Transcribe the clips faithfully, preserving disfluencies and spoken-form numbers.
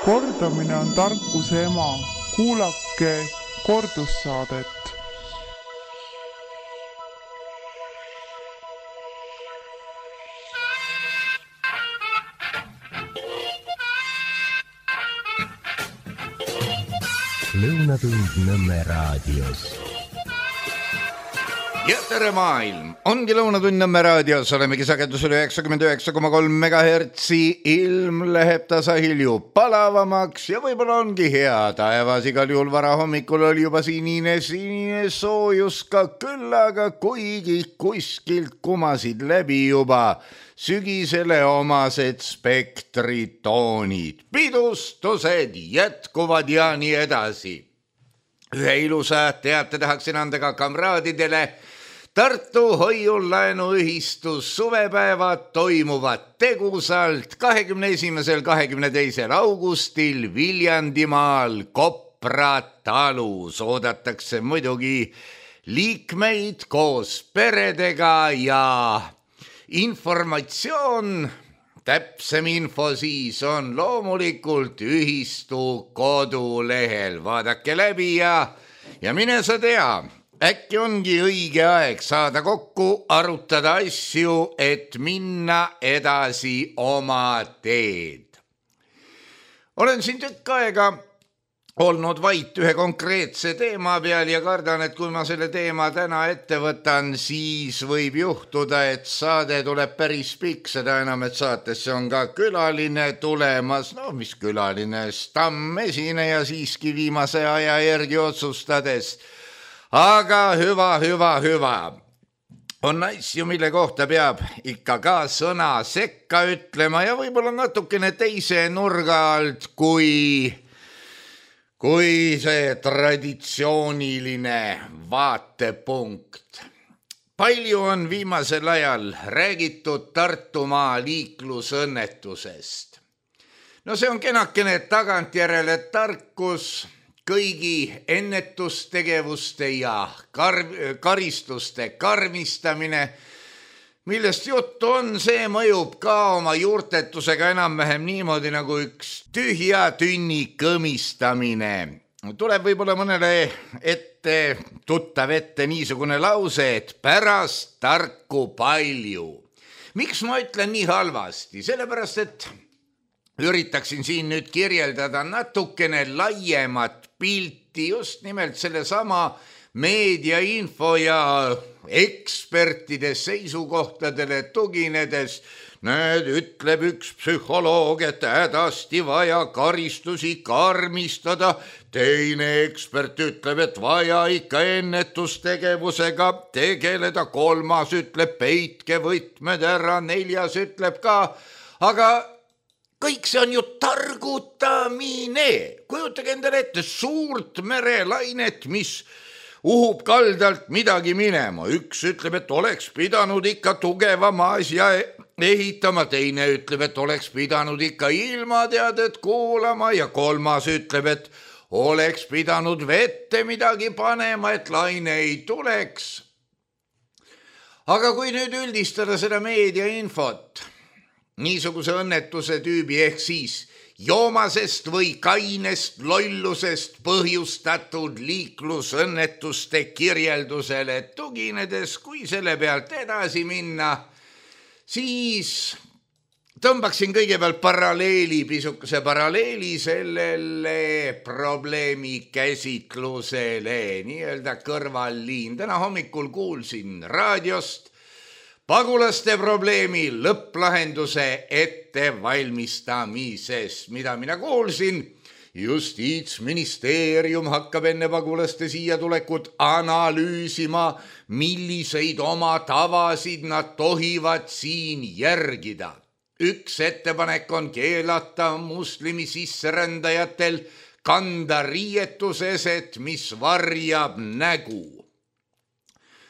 Kordamine on tarkuse ema. Kuulake kordussaadet. Lõunatund Nõmme raadios. Ja tere maailm! Ongi Lõunatund Nõmme raadios, olemegi sagedusel üheksakümmend üheksa koma kolm megahertsi, ilm läheb tasahilju palavamaks ja võib-olla ongi hea taevas, igal juhul vara hommikul oli juba sinine, sinine soojus ka küll, aga kuigi kuskilt kumasid läbi juba sügisele omased spektritoonid, pidustused jätkuvad ja nii edasi. Ühe ilusa teate tahaksin anda ka kamraadidele. Tartu hoiulaenuühistus suvepäevad toimuvad tegusalt kahekümne esimesel kahekümne teisel augustil Viljandimaal Kopra talus. Oodatakse muidugi liikmeid koos peredega ja informatsioon, täpsem info siis on loomulikult ühistu kodulehel. Vaadake läbi ja, ja mine sa tea. Äkki ongi õige aeg saada kokku, arutada asju, et minna edasi oma teed. Olen siin tükk aega olnud vait ühe konkreetse teema peal ja kardan, et kui ma selle teema täna ette võtan, siis võib juhtuda, et saade tuleb päris pikk, seda enam, et saatesse on ka külaline tulemas. No mis külaline, stammesineja siiski viimase aja järgi otsustades. Aga hüva, hüva, hüva. On asju, mille kohta peab ikka ka sõna sekka ütlema ja võib-olla natukene teise nurga alt kui, kui see traditsiooniline vaatepunkt. Palju on viimasel ajal räägitud Tartumaa liiklusõnnetusest. No see on kenakene tagantjärele tarkus. Kõigi ennetustegevuste ja kar- karistuste karmistamine, millest juttu on, see mõjub ka oma juurtetusega enam-vähem niimoodi nagu üks tühja tünni kõmistamine. Tuleb võib-olla mõnele ette, tuttav ette niisugune lause, et pärast tarku palju. Miks ma ütlen nii halvasti? Sellepärast, et üritaksin siin nüüd kirjeldada natukene laiemat pilti just nimelt selle sama meediainfo ja ekspertide seisukohtadele tuginedes. Näed, ütleb üks psühholoog, et hädasti vaja karistusi karmistada. Teine ekspert ütleb, et vaja ikka ennetustegevusega tegeleda. Kolmas ütleb, peitke võtmed ära. Neljas ütleb ka, aga kõik see on ju targutamine. Kujutage endale ette suurt merelainet, mis uhub kaldalt midagi minema. Üks ütleb, et oleks pidanud ikka tugevama asja ehitama. Teine ütleb, et oleks pidanud ikka ilmateadet kuulama. Ja kolmas ütleb, et oleks pidanud vette midagi panema, et laine ei tuleks. Aga kui nüüd üldistada seda meediainfot, niisuguse õnnetuse tüübi ehk siis joomasest või kainest lollusest põhjustatud liiklusõnnetuste kirjeldusele tuginedes, kui selle pealt edasi minna, siis tõmbaksin kõigepealt paralleeli, pisukese paralleeli sellele probleemi käsitlusele, nii-öelda kõrvalliin. Täna hommikul kuulsin raadiost pagulaste probleemi lõpplahenduse ettevalmistamisest, mida mina kuulsin. Justiitsministeerium hakkab enne pagulaste siia tulekut analüüsima, milliseid oma tavasid nad tohivad siin järgida. Üks ettepanek on keelata muslimi sisserändajatel kanda riietuseset, mis varjab nägu.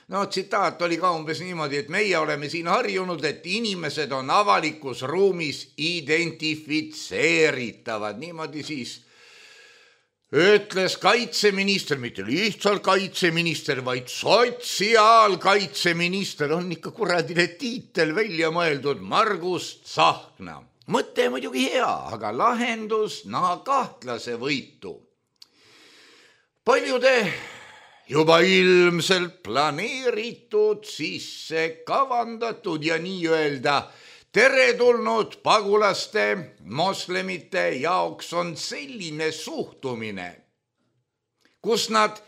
No, tsitaat oli ka umbes niimoodi, et meie oleme siin harjunud, et inimesed on avalikus ruumis identifitseeritavad. Niimoodi siis ütles kaitseminister, mitte lihtsalt kaitseminister, vaid sotsiaalkaitseminister, on ikka kuradile tiitel välja mõeldud, Margus Tsahkna. mõte muidugi hea, aga lahendus naha kahtlase võitu. Paljude juba ilmselt planeeritud, sisse kavandatud ja nii-öelda teretulnud pagulaste, moslemite jaoks on selline suhtumine, kus nad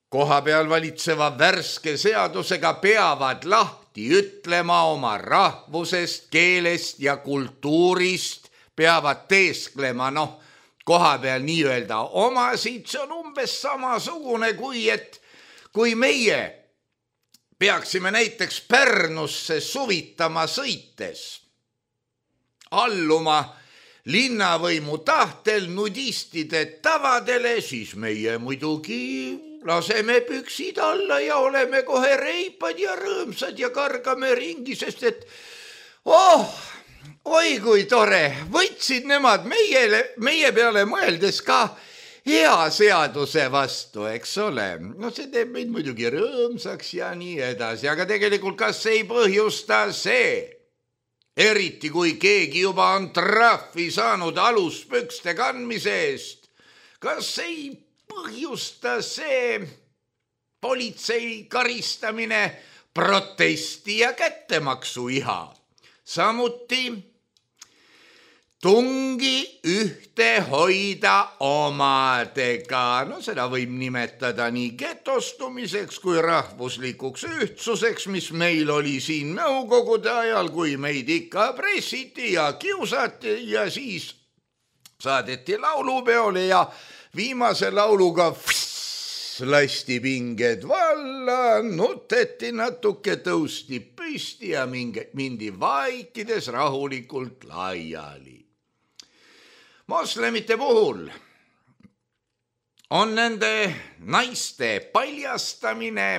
kohapeal valitseva värske seadusega peavad lahti ütlema oma rahvusest, keelest ja kultuurist, peavad teesklema, noh, kohapeal nii-öelda omasid, see on umbes samasugune kui, et kui meie peaksime näiteks Pärnusse suvitama sõites, alluma linnavõimu tahtel nudistide tavadele, siis meie muidugi laseme püksid alla ja oleme kohe reipad ja rõõmsad ja kargame ringi, sest et oh, oi kui tore, võtsid nemad meie, meie peale mõeldes ka hea seaduse vastu, eks ole. No see teeb meid muidugi rõõmsaks ja nii edasi, aga tegelikult kas ei põhjusta see, eriti kui keegi juba on trahvi saanud aluspükste kandmise eest, kas ei põhjusta see politsei karistamine protesti ja kättemaksu iha, samuti tungi ühte hoida omadega. No seda võib nimetada nii getostumiseks kui rahvuslikuks ühtsuseks, mis meil oli siin nõukogude ajal, kui meid ikka pressiti ja kiusati ja siis saadeti laulupeole ja viimase lauluga fss, lasti pinged valla, nuteti natuke, tõusti püsti ja mingi, mindi vaikides rahulikult laiali. Moslemite puhul on nende naiste paljastamine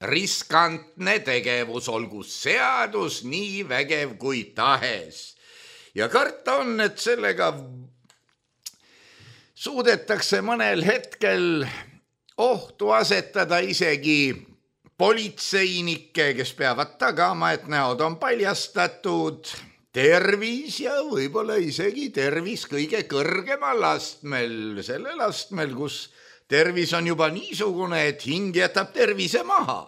riskantne tegevus, olgu seadus nii vägev kui tahes. Ja karta on, et sellega suudetakse mõnel hetkel ohtu asetada isegi politseinikke, kes peavad tagama, et näod on paljastatud, tervis ja võib-olla isegi tervis kõige kõrgemal astmel, sellel astmel, kus tervis on juba niisugune, et hing jätab tervise maha.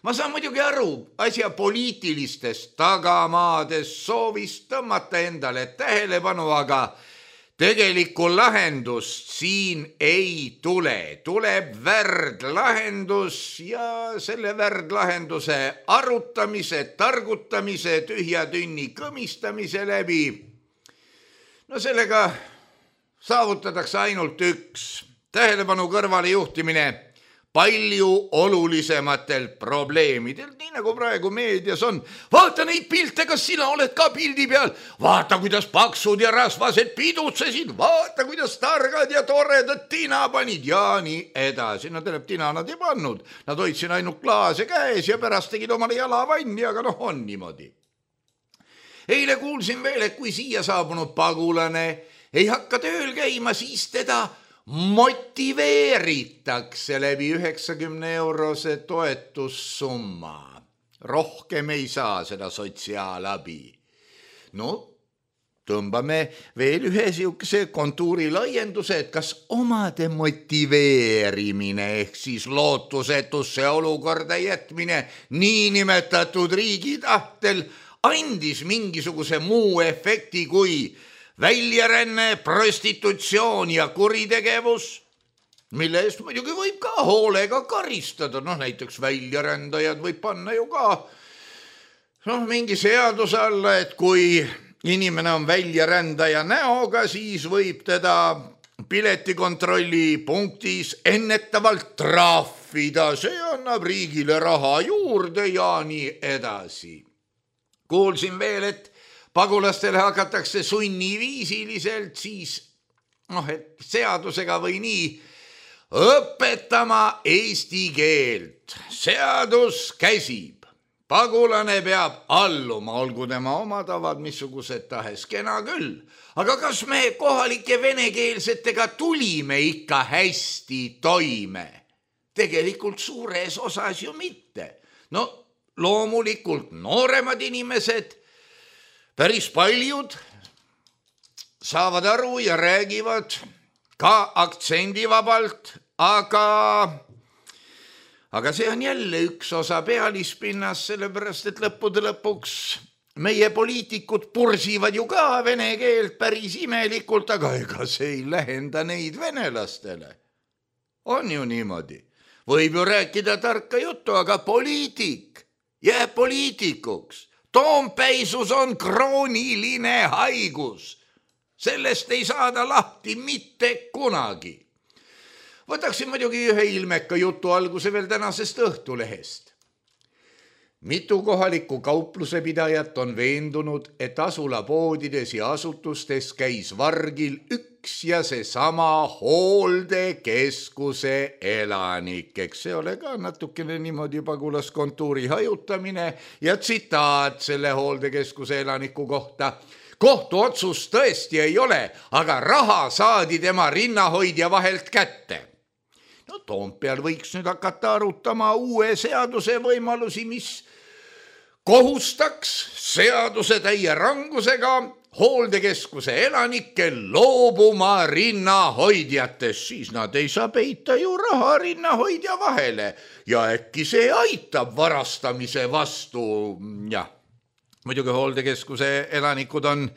Ma saan muidugi aru asja poliitilistest tagamaadest, soovist tõmmata endale tähelepanu, aga tegelikku lahendust siin ei tule. Tuleb värdlahendus ja selle värdlahenduse arutamise, targutamise, tühja tünni kõmistamise läbi. No sellega saavutatakse ainult üks. Tähelepanu kõrvale juhtimine palju olulisematel probleemidel, nii nagu praegu meedias on. Vaata neid pilte, kas sina oled ka pildi peal? Vaata, kuidas paksud ja rasvased pidutsesid, vaata, kuidas targad ja toredad tina panid ja nii edasi. No tähendab, tina nad ei pannud. Nad hoidsid ainult klaase käes ja pärast tegid omale jalavanni, aga noh, on niimoodi. Eile kuulsin veel, et kui siia saabunud pagulane ei hakka tööl käima, siis teda motiveeritakse läbi üheksakümne eurose toetussumma. Rohkem ei saa seda sotsiaalabi. No, tõmbame veel ühe siukese kontuuri laienduse, et kas omade motiveerimine ehk siis lootusetusse olukorda jätmine niinimetatud riigi tahtel andis mingisuguse muu efekti kui väljaränne, prostitutsioon ja kuritegevus, mille eest muidugi võib ka hoolega karistada. Noh, näiteks väljarändajad võib panna ju ka noh, mingi seaduse alla, et kui inimene on väljarändaja näoga, siis võib teda piletikontrolli punktis ennetavalt trahvida. See annab riigile raha juurde ja nii edasi. Kuulsin veel, et pagulastele hakatakse sunniviisiliselt siis, noh, et seadusega või nii, õpetama eesti keelt. Seadus käsib. Pagulane peab alluma, olgu tema oma tavad, missugused tahes, kena küll. Aga kas me kohalike venekeelsetega tulime ikka hästi toime? Tegelikult suures osas ju mitte. No loomulikult nooremad inimesed päris paljud saavad aru ja räägivad ka aktsendivabalt, aga, aga see on jälle üks osa pealispinnas, sellepärast et lõppude lõpuks meie poliitikud pursivad ju ka vene keelt päris imelikult, aga ega see ei lähenda neid venelastele. On ju niimoodi. Võib ju rääkida tarka juttu, aga poliitik jääb poliitikuks. Toompeisus on krooniline haigus. Sellest ei saada lahti mitte kunagi. Võtaksin muidugi ühe ilmeka jutu alguse veel tänasest Õhtulehest. Mitu kohalikku kauplusepidajat on veendunud, et asulapoodides ja asutustes käis vargil üks ja seesama hooldekeskuse elanik. Eks see ole ka natukene niimoodi pagulaskontuuri hajutamine ja tsitaat selle hooldekeskuse elaniku kohta. Kohtuotsust tõesti ei ole, aga raha saadi tema rinnahoidja vahelt kätte. No Toompeal võiks nüüd hakata arutama uue seaduse võimalusi, mis kohustaks seaduse täie rangusega hooldekeskuse elanikke loobuma rinnahoidjatest, siis nad ei saa peita ju raha rinnahoidja vahele ja äkki see aitab varastamise vastu. Jah, muidugi hooldekeskuse elanikud on,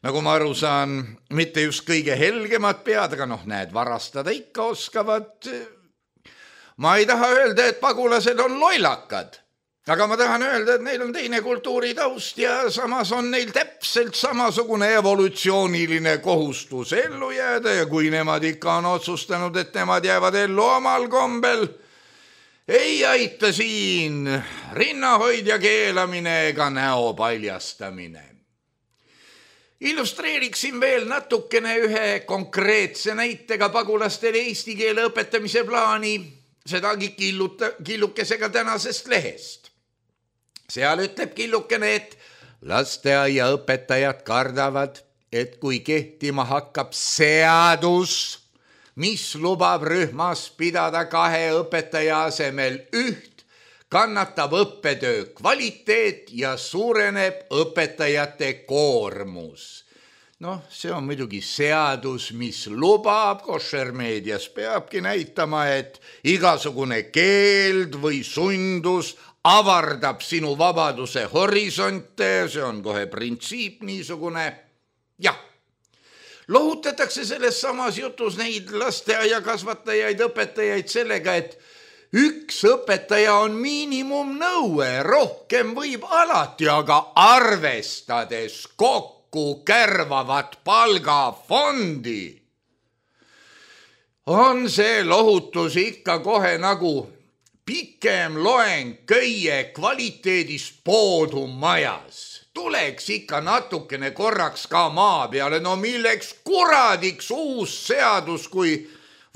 nagu ma aru saan, mitte just kõige helgemad pead, aga noh, näed, varastada ikka oskavad. Ma ei taha öelda, et pagulased on lollakad. Aga ma tahan öelda, et neil on teine kultuuritaust ja samas on neil täpselt samasugune evolutsiooniline kohustus ellu jääda ja kui nemad ikka on otsustanud, et nemad jäävad ellu omal kombel, ei aita siin rinnahoidja keelamine ega näo paljastamine. Illustreeriksin veel natukene ühe konkreetse näitega pagulastele eesti keele õpetamise plaani, sedagi killuta, killukesega tänasest lehest. Seal ütleb killukene, et lasteaiaõpetajad kardavad, et kui kehtima hakkab seadus, mis lubab rühmas pidada kahe õpetaja asemel üht, kannatab õppetöö kvaliteet ja suureneb õpetajate koormus. Noh, see on muidugi seadus, mis lubab, košermeedias peabki näitama, et igasugune keeld või sundus avardab sinu vabaduse horisonte, see on kohe printsiip niisugune. Jah, lohutatakse selles samas jutus neid lasteaia kasvatajaid, õpetajaid sellega, et üks õpetaja on miinimumnõue, rohkem võib alati, aga arvestades kokku kärvavat palgafondi, on see lohutus ikka kohe nagu pikem loeng köie kvaliteedist poodu majas. Tuleks ikka natukene korraks ka maa peale, no milleks kuradiks uus seadus, kui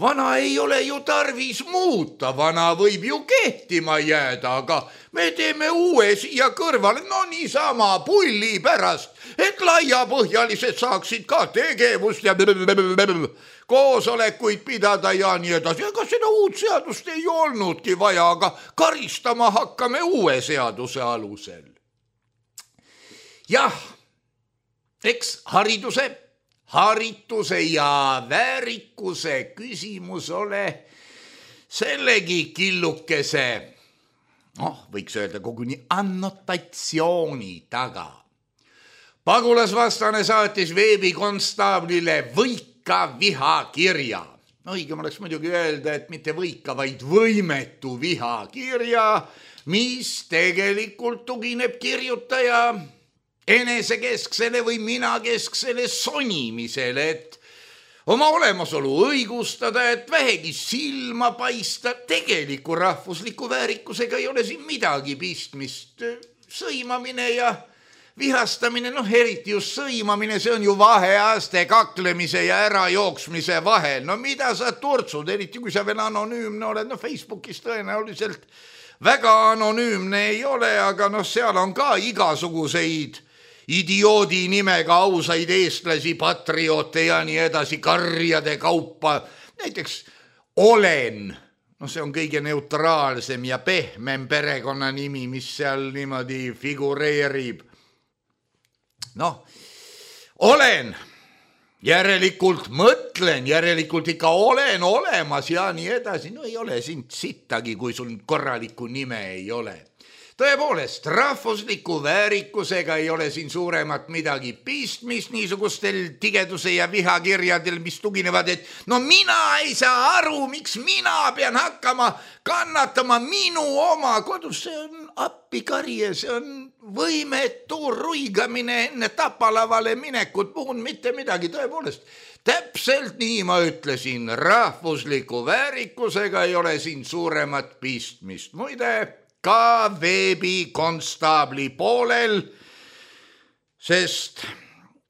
vana ei ole ju tarvis muuta, vana võib ju kehtima jääda, aga me teeme uue siia kõrvale, no niisama pulli pärast, et laiapõhjalised saaksid ka tegevust ja koosolekuid pidada ja nii edasi. Ega seda uut seadust ei olnudki vaja, aga karistama hakkame uue seaduse alusel. Jah, eks hariduse, harituse ja väärikuse küsimus ole sellegi killukese, noh, võiks öelda koguni annotatsiooni taga. Pagulasvastane saatis veebikonstaablile võik ka vihakirja. Õigem oleks muidugi öelda, et mitte võika, vaid võimetu vihakirja, mis tegelikult tugineb kirjutaja enesekesksele või minakesksele sonimisele, et oma olemasolu õigustada, et vähegi silma paista. Tegeliku rahvusliku väärikusega ei ole siin midagi pistmist. Sõimamine ja vihastamine, noh eriti just sõimamine, see on ju vaheaste kaklemise ja ärajooksmise vahel. No mida sa turtsud, eriti kui sa veel anonüümne oled, no Facebookis tõenäoliselt väga anonüümne ei ole, aga noh, seal on ka igasuguseid idioodi nimega ausaid eestlasi, patrioote ja nii edasi, karjade kaupa. Näiteks olen, no see on kõige neutraalsem ja pehmem perekonna nimi, mis seal niimoodi figureerib. noh, olen, järelikult mõtlen, järelikult ikka olen olemas ja nii edasi. No ei ole sind sittagi, kui sul korralikku nime ei ole. Tõepoolest, rahvusliku väärikusega ei ole siin suuremat midagi pistmist niisugustel tigeduse ja vihakirjadel, mis tuginevad, et no mina ei saa aru, miks mina pean hakkama kannatama minu oma kodus. See on appikarje, see on võimetu ruigamine enne tapalavale minekut, puhun mitte midagi. Tõepoolest, täpselt nii ma ütlesin, rahvusliku väärikusega ei ole siin suuremat pistmist. Muide, ka veebikonstaabli poolel, sest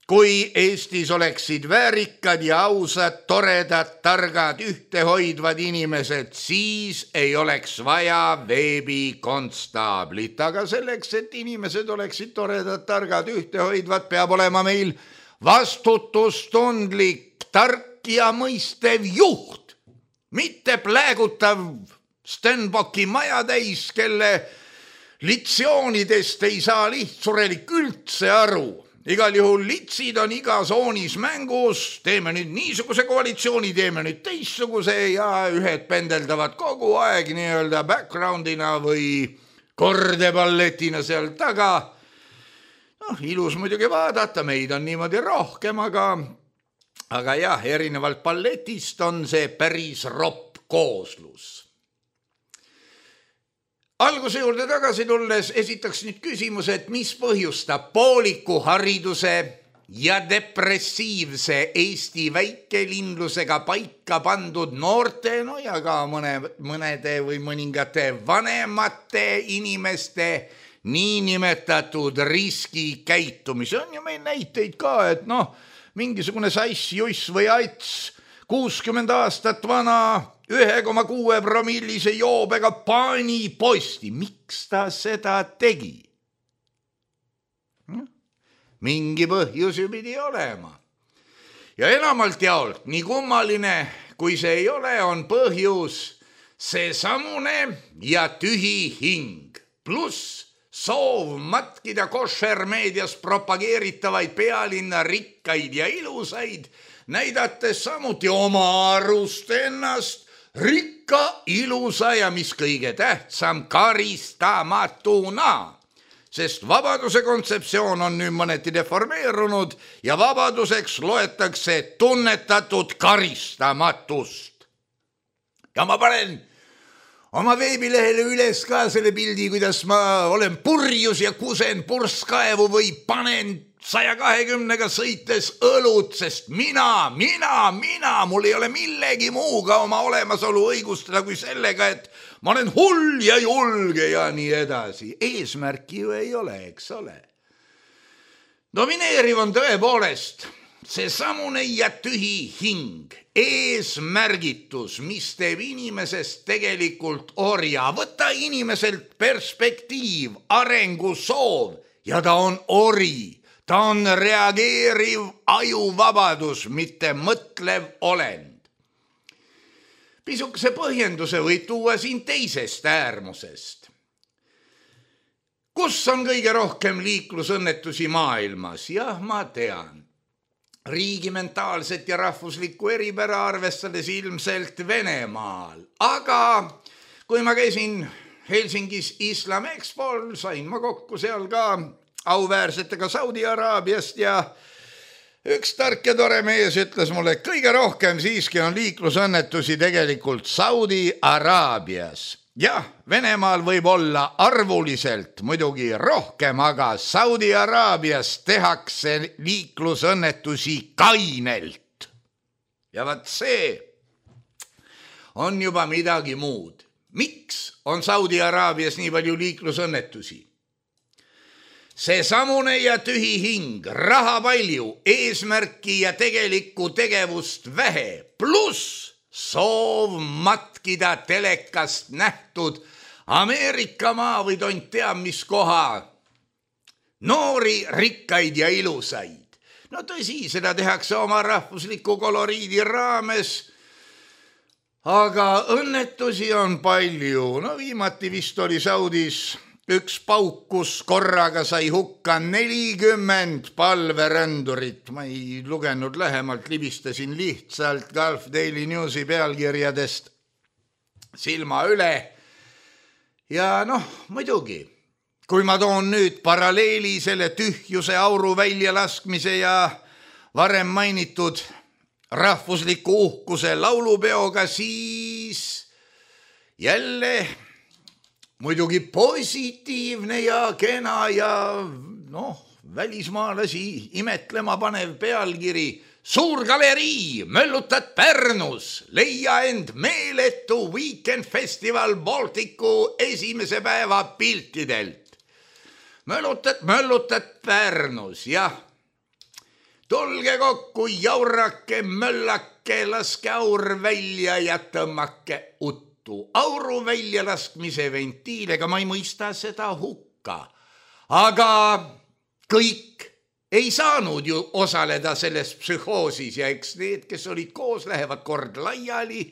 kui Eestis oleksid väärikad ja ausad, toredad, targad, ühtehoidvad inimesed, siis ei oleks vaja veebikonstaablit. Aga selleks, et inimesed oleksid toredad, targad, ühtehoidvad, peab olema meil vastutustundlik, tark ja mõistev juht, mitte pläägutav Stenbocki maja täis, kelle litsioonidest ei saa lihtsurelik üldse aru. Igal juhul litsid on iga soonis mängus, teeme nüüd niisuguse koalitsiooni, teeme nüüd teissuguse ja ühed pendeldavad kogu aeg nii-öelda backgroundina või kordeballetina seal taga. Noh, ilus muidugi vaadata, meid on niimoodi rohkem, aga, aga jah, erinevalt balletist on see päris ropp kooslus. Alguse juurde tagasi tulles esitaks nüüd küsimus, et mis põhjustab pooliku hariduse ja depressiivse Eesti väikelinlusega paika pandud noorte, no ja ka mõne, mõnede või mõningate vanemate inimeste niinimetatud riskikäitumise. On ju meil näiteid ka, et noh, mingisugune sass, juss või ats, kuuskümmend aastat vana, ühe koma kuue promillise joobega pani posti. Miks ta seda tegi? Mingi põhjus ju pidi olema. Ja enamalt jaolt, nii kummaline kui see ei ole, on põhjus see samune ja tühi hing. Pluss soov matkida košermeedias propageeritavaid pealinna rikkaid ja ilusaid, näidates samuti oma arust ennast rikka, ilusa ja mis kõige tähtsam, karistamatuna. Sest vabaduse kontseptsioon on nüüd mõneti deformeerunud ja vabaduseks loetakse tunnetatud karistamatust. Ja ma panen oma veebilehele üles ka selle pildi, kuidas ma olen purjus ja kusen purskkaevu või panen saja kahekümnega sõites õlut, sest mina, mina, mina, mul ei ole millegi muuga oma olemasolu õigustada kui sellega, et ma olen hull ja julge ja nii edasi. Eesmärki ju ei ole, eks ole. Domineeriv on tõepoolest see samune ja tühi hing, eesmärgitus, mis teeb inimesest tegelikult orja. Võta inimeselt perspektiiv, arengusoov ja ta on ori. Ta on reageeriv ajuvabadus, mitte mõtlev olend. Pisukese põhjenduse võib tuua siin teisest äärmusest. Kus on kõige rohkem liiklusõnnetusi maailmas? Jah, ma tean. Riigi mentaalset ja rahvuslikku eripära arvestades ilmselt Venemaal. Aga kui ma käisin Helsingis Islam Expol, sain ma kokku seal ka auväärsetega Saudi Araabiast ja üks tark ja tore mees ütles mulle, et kõige rohkem siiski on liiklusõnnetusi tegelikult Saudi Araabias. Jah, Venemaal võib olla arvuliselt muidugi rohkem, aga Saudi Araabias tehakse liiklusõnnetusi kainelt. Ja vaat see on juba midagi muud. Miks on Saudi Araabias nii palju liiklusõnnetusi? See samune ja tühi hing, raha palju, eesmärki ja tegelikku tegevust vähe, pluss soov matkida telekast nähtud Ameerika maa või tont teab mis koha. Noori, rikkaid ja ilusaid. No tõsi, seda tehakse oma rahvusliku koloriidi raames, aga õnnetusi on palju. No viimati vist oli Saudis üks paukus korraga sai hukka nelikümmend palverändurit. Ma ei lugenud lähemalt, libistasin lihtsalt Gulf Daily Newsi pealkirjadest silma üle. Ja noh, muidugi, kui ma toon nüüd paralleeli selle tühjuse auru väljalaskmise ja varem mainitud rahvusliku uhkuse laulupeoga, siis jälle muidugi positiivne ja kena ja noh, välismaalasi imetlema panev pealkiri. Suur galerii, möllutad Pärnus, leia end meeletu Weekend Festival Balticu esimese päeva piltidelt. Möllutad, möllutad Pärnus, jah. Tulge kokku, jaurake, möllake, laske aur välja ja tõmmake uttu. Auru välja laskmise ventiilega ma ei mõista seda hukka. Aga kõik ei saanud ju osaleda selles psühhoosis ja eks need, kes olid koos, lähevad kord laiali.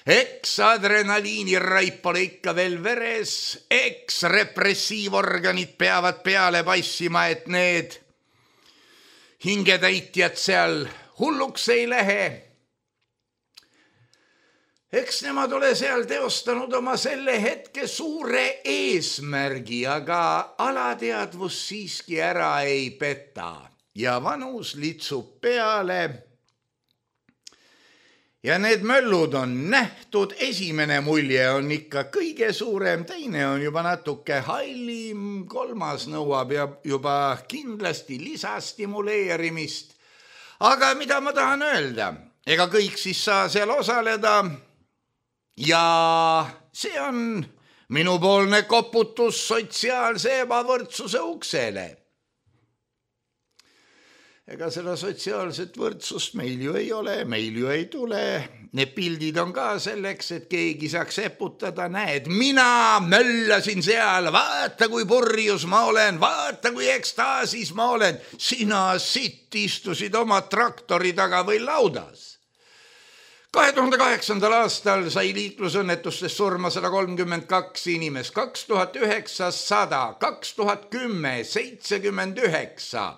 Eks adrenaliini raip pole ikka veel veres. Eks repressiivorganid peavad peale passima, et need hingetäitjad seal hulluks ei lähe. Eks nemad ole seal teostanud oma selle hetke suure eesmärgi, aga alateadvus siiski ära ei peta ja vanus litsub peale. Ja need möllud on nähtud, esimene mulje on ikka kõige suurem, teine on juba natuke hallim, kolmas nõuab juba kindlasti lisastimuleerimist. Aga mida ma tahan öelda? Ega kõik siis saa seal osaleda ja see on minupoolne koputus sotsiaalse ebavõrdsuse uksele. Ega seda sotsiaalset võrdsust meil ju ei ole, meil ju ei tule. Need pildid on ka selleks, et keegi saaks eputada, näed, mina möllasin seal, vaata kui purjus ma olen, vaata kui ekstaasis ma olen. Sina sitt istusid oma traktori taga või laudas. kahe tuhande kaheksandal aastal sai liiklusõnnetustes surma sada kolmkümmend kaks inimest, kaks tuhat üheksasada, kaks tuhat kümme, seitsekümmend üheksa.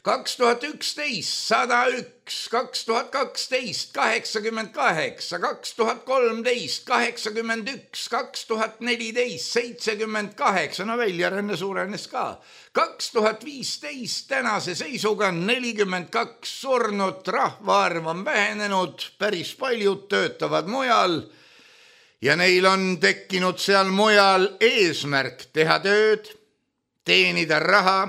kaks tuhat üksteist, sada üks, kaks tuhat kaksteist, kaheksakümmend kaheksa, kaks tuhat kolmteist, kaheksakümmend üks, kaks tuhat neliteist, seitsekümmend kaheksa, no väljaränne suurenes ka. kaks tuhat viisteist tänase seisuga nelikümmend kaks surnut, rahvaarv on vähenenud, päris paljud töötavad mujal ja neil on tekkinud seal mujal eesmärk teha tööd, teenida raha,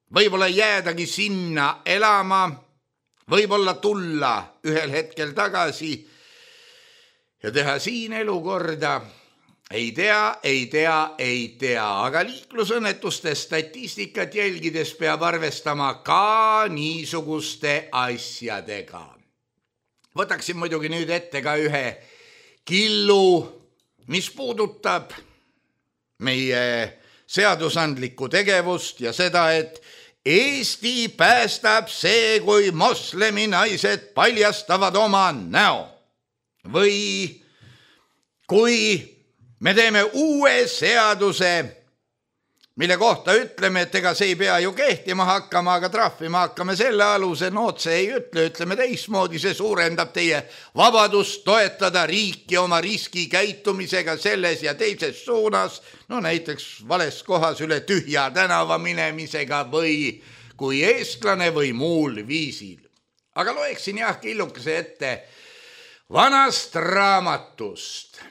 võib-olla jäädagi sinna elama, võib-olla tulla ühel hetkel tagasi ja teha siin elu korda. Ei tea, ei tea, ei tea, aga liiklusõnnetuste statistikat jälgides peab arvestama ka niisuguste asjadega. Võtaksin muidugi nüüd ette ka ühe killu, mis puudutab meie seadusandlikku tegevust ja seda, et Eesti päästab see, kui moslemi naised paljastavad oma näo. Või kui me teeme uue seaduse, mille kohta ütleme, et ega see ei pea ju kehtima hakkama, aga trahvima hakkame selle aluse, nood see ei ütle, ütleme teismoodi, see suurendab teie vabadust toetada riiki oma riskikäitumisega selles ja teises suunas, no näiteks vales kohas üle tühja tänava minemisega või kui eestlane või muul viisil. Aga loeksin jah killukese ette vanast raamatust,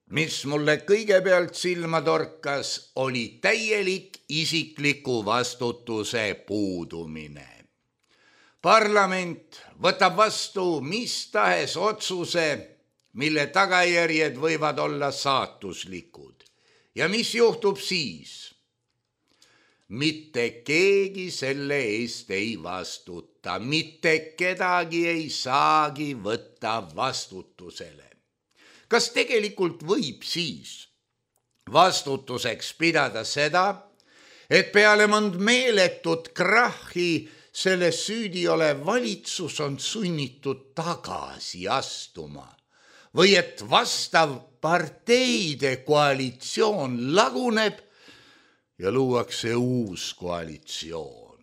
mis mulle kõigepealt silma torkas, oli täielik isikliku vastutuse puudumine. Parlament võtab vastu mis tahes otsuse, mille tagajärjed võivad olla saatuslikud. Ja mis juhtub siis? Mitte keegi selle eest ei vastuta, mitte kedagi ei saagi võtta vastutusele. Kas tegelikult võib siis vastutuseks pidada seda, et peale mõnd meeletut krahhi selles süüdi olev valitsus on sunnitud tagasi astuma? või et vastav parteide koalitsioon laguneb ja luuakse uus koalitsioon.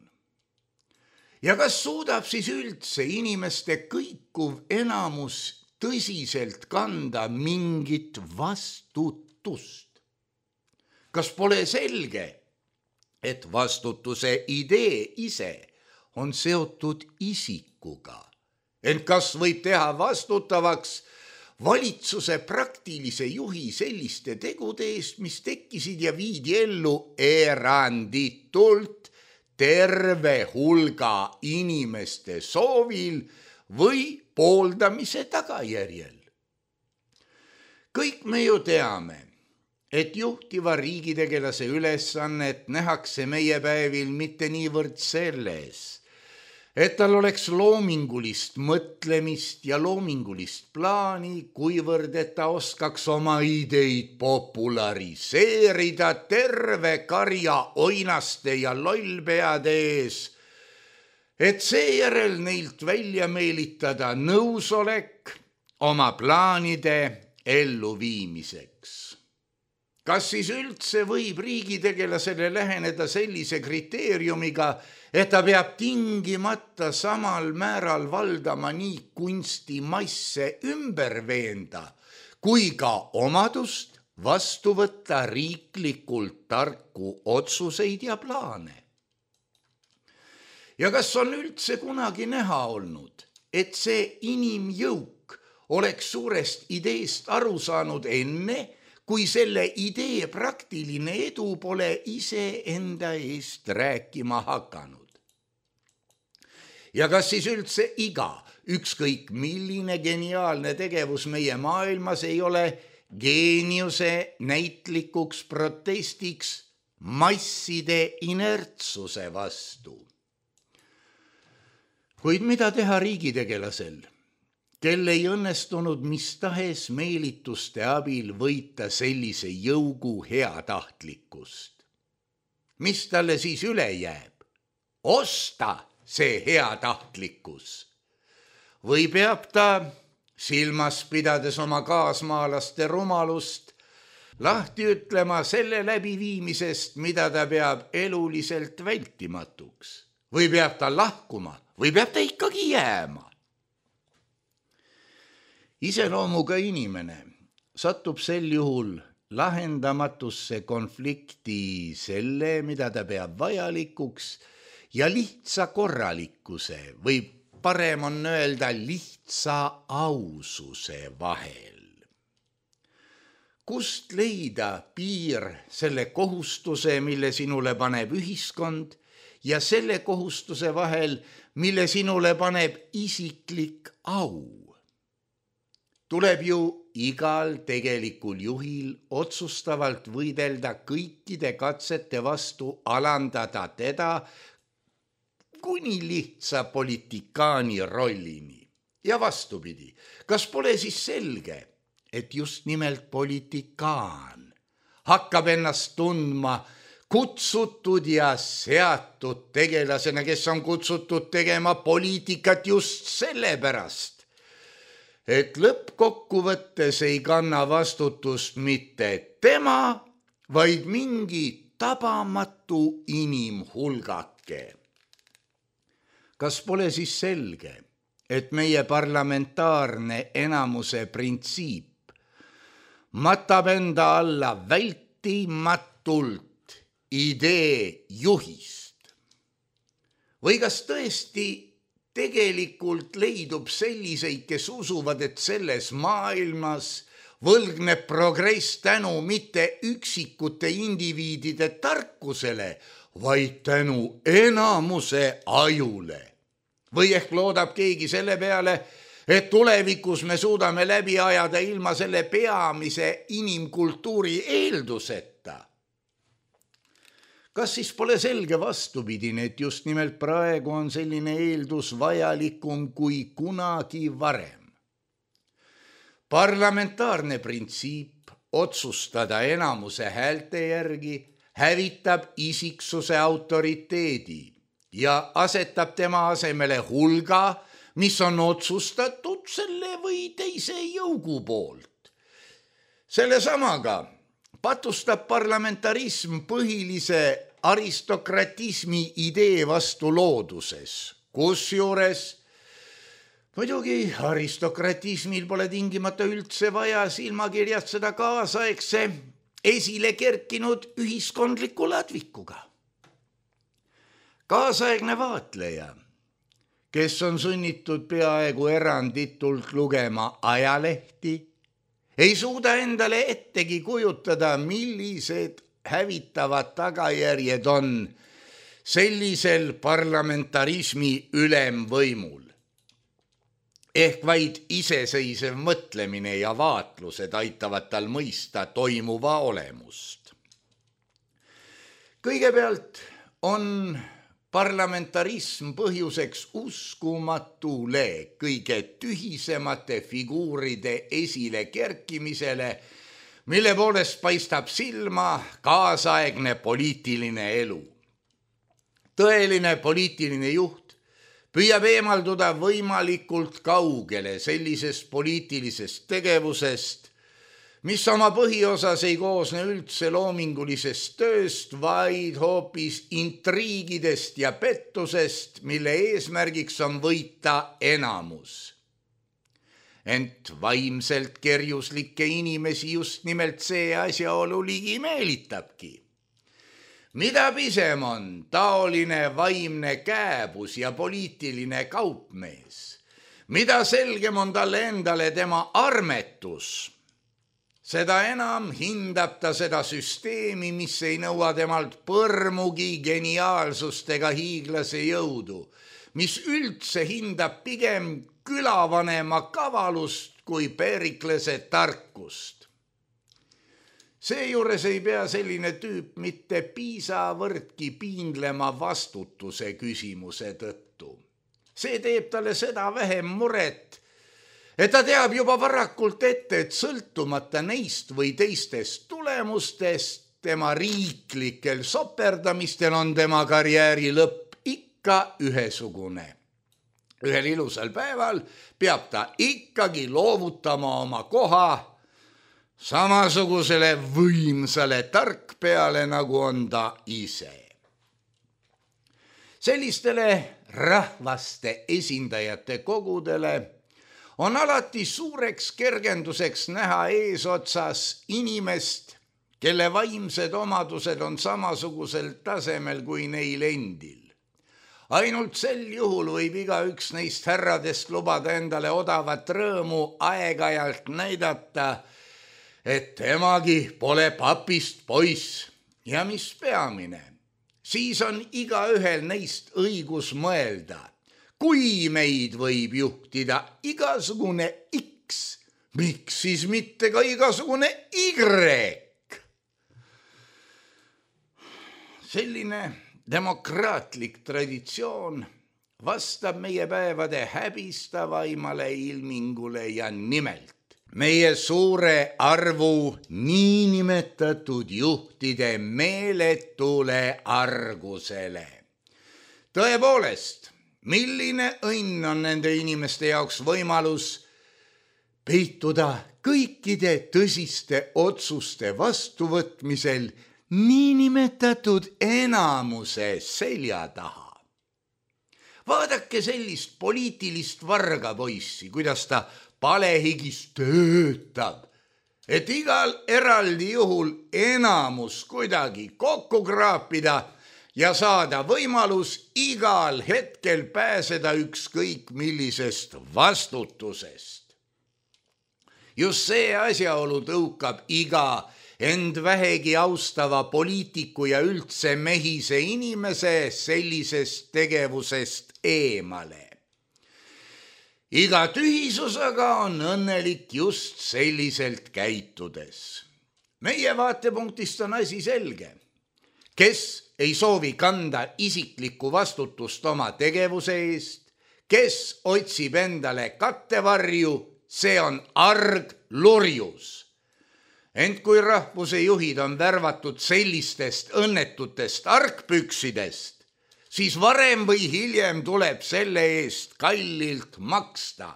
Ja kas suudab siis üldse inimeste kõikuv enamus tõsiselt kanda mingit vastutust? Kas pole selge, et vastutuse idee ise on seotud isikuga, ent kas võib teha vastutavaks valitsuse praktilise juhi selliste tegude eest, mis tekkisid ja viidi ellu eranditult terve hulga inimeste soovil või pooldamise tagajärjel? Kõik me ju teame, et juhtiva riigitegelase ülesannet nähakse meie päevil mitte niivõrd selles, et tal oleks loomingulist mõtlemist ja loomingulist plaani, kuivõrd et ta oskaks oma ideid populariseerida terve karja oinaste ja lollpeade ees, et seejärel neilt välja meelitada nõusolek oma plaanide elluviimiseks. Kas siis üldse võib riigitegelasele läheneda sellise kriteeriumiga, et ta peab tingimata samal määral valdama nii kunstimasse ümber veenda, kui ka omadust vastu võtta riiklikult tarku otsuseid ja plaane? Ja kas on üldse kunagi näha olnud, et see inimjõuk oleks suurest ideest aru saanud enne, kui selle idee praktiline edu pole ise enda eest rääkima hakanud? Ja kas siis üldse iga, ükskõik milline geniaalne tegevus meie maailmas ei ole geeniuse näitlikuks protestiks masside inertsuse vastu? Kuid mida teha riigitegelasel, kel ei õnnestunud mis tahes meelituste abil võita sellise jõugu heatahtlikkust? Mis talle siis üle jääb? Osta see heatahtlikkus? Või peab ta, silmas pidades oma kaasmaalaste rumalust, lahti ütlema selle läbiviimisest, mida ta peab eluliselt vältimatuks? Või peab ta lahkuma? Või peab ta ikkagi jääma? Iseloomuga inimene satub sel juhul lahendamatusse konflikti selle, mida ta peab vajalikuks, ja lihtsa korralikkuse või parem on öelda lihtsa aususe vahel. Kust leida piir selle kohustuse, mille sinule paneb ühiskond, ja selle kohustuse vahel, mille sinule paneb isiklik au? Tuleb ju igal tegelikul juhil otsustavalt võidelda kõikide katsete vastu alandada teda kuni lihtsa politikaani rollini. Ja vastupidi, kas pole siis selge, et just nimelt politikaan hakkab ennast tundma kutsutud ja seatud tegelasena, kes on kutsutud tegema poliitikat just sellepärast, et lõppkokkuvõttes ei kanna vastutust mitte tema, vaid mingi tabamatu inimhulgake. Kas pole siis selge, et meie parlamentaarne enamuse printsiip matab enda alla vältimatult idee juhist? Või kas tõesti tegelikult leidub selliseid, kes usuvad, et selles maailmas võlgneb progress tänu mitte üksikute indiviidide tarkusele, vaid tänu enamuse ajule? Või ehk loodab keegi selle peale, et tulevikus me suudame läbi ajada ilma selle peamise inimkultuuri eelduseta? Kas siis pole selge vastupidine, et just nimelt praegu on selline eeldus vajalikum kui kunagi varem? Parlamentaarne printsiip otsustada enamuse häälte järgi hävitab isiksuse autoriteedi ja asetab tema asemele hulga, mis on otsustatud selle või teise jõugu poolt. Selle samaga patustab parlamentarism põhilise aristokratismi idee vastu looduses, kusjuures muidugi aristokratismil pole tingimata üldse vaja silmakirjad seda kaasaegse esile kerkinud ühiskondliku ladvikuga. Kaasaegne vaatleja, kes on sunnitud peaaegu eranditult lugema ajalehti, ei suuda endale ettegi kujutada, millised hävitavad tagajärjed on sellisel parlamentarismi ülemvõimul. Ehk vaid iseseisev mõtlemine ja vaatlused aitavad tal mõista toimuva olemust. Kõigepealt on parlamentarism põhjuseks uskumatule kõige tühisemate figuuride esile kerkimisele, mille poolest paistab silma kaasaegne poliitiline elu. Tõeline poliitiline juht püüab eemalduda võimalikult kaugele sellisest poliitilisest tegevusest, mis oma põhiosas ei koosne üldse loomingulisest tööst, vaid hoopis intriigidest ja pettusest, mille eesmärgiks on võita enamus. Ent vaimselt kerjuslikke inimesi just nimelt see asjaolu ligi meelitabki. Mida pisem on taoline vaimne kääbus ja poliitiline kaupmees, mida selgem on talle endale tema armetus, seda enam hindab ta seda süsteemi, mis ei nõua temalt põrmugi geniaalsust ega hiiglase jõudu, mis üldse hindab pigem külavanema kavalust kui Periklase tarkust. Seejuures ei pea selline tüüp mitte piisavõrdki piinlema vastutuse küsimuse tõttu. See teeb talle seda vähem muret, et ta teab juba varakult ette, et sõltumata neist või teistest tulemustest, tema riiklikel soperdamistel on tema karjääri lõpp ikka ühesugune. Ühel ilusal päeval peab ta ikkagi loovutama oma koha samasugusele võimsale tarkpeale, nagu on ta ise. Sellistele rahvaste esindajate kogudele on alati suureks kergenduseks näha eesotsas inimest, kelle vaimsed omadused on samasugusel tasemel kui neil endil. Ainult sel juhul võib igaüks neist härradest lubada endale odavat rõõmu aeg-ajalt näidata, et temagi pole papist poiss ja mis peamine, siis on igaühel neist õigus mõelda. Kui meid võib juhtida igasugune X, miks siis mitte ka igasugune Y? Selline demokraatlik traditsioon vastab meie päevade häbistavaimale ilmingule ja nimelt meie suure arvu niinimetatud juhtide meeletule argusele. Tõepoolest, milline õnn on nende inimeste jaoks võimalus peituda kõikide tõsiste otsuste vastuvõtmisel niinimetatud enamuse selja taha. Vaadake sellist poliitilist vargapoissi, kuidas ta palehigis töötab, et igal eraldi juhul enamus kuidagi kokku kraapida ja saada võimalus igal hetkel pääseda ükskõik millisest vastutusest. Just see asjaolu tõukab iga end vähegi austava poliitiku ja üldse mehise inimese sellisest tegevusest eemale. Iga tühisus aga on õnnelik just selliselt käitudes. Meie vaatepunktist on asi selge. Kes ei soovi kanda isiklikku vastutust oma tegevuse eest, kes otsib endale kattevarju, see on arg lurjus. Ent kui rahvuse juhid on värvatud sellistest õnnetutest argpüksidest, siis varem või hiljem tuleb selle eest kallilt maksta.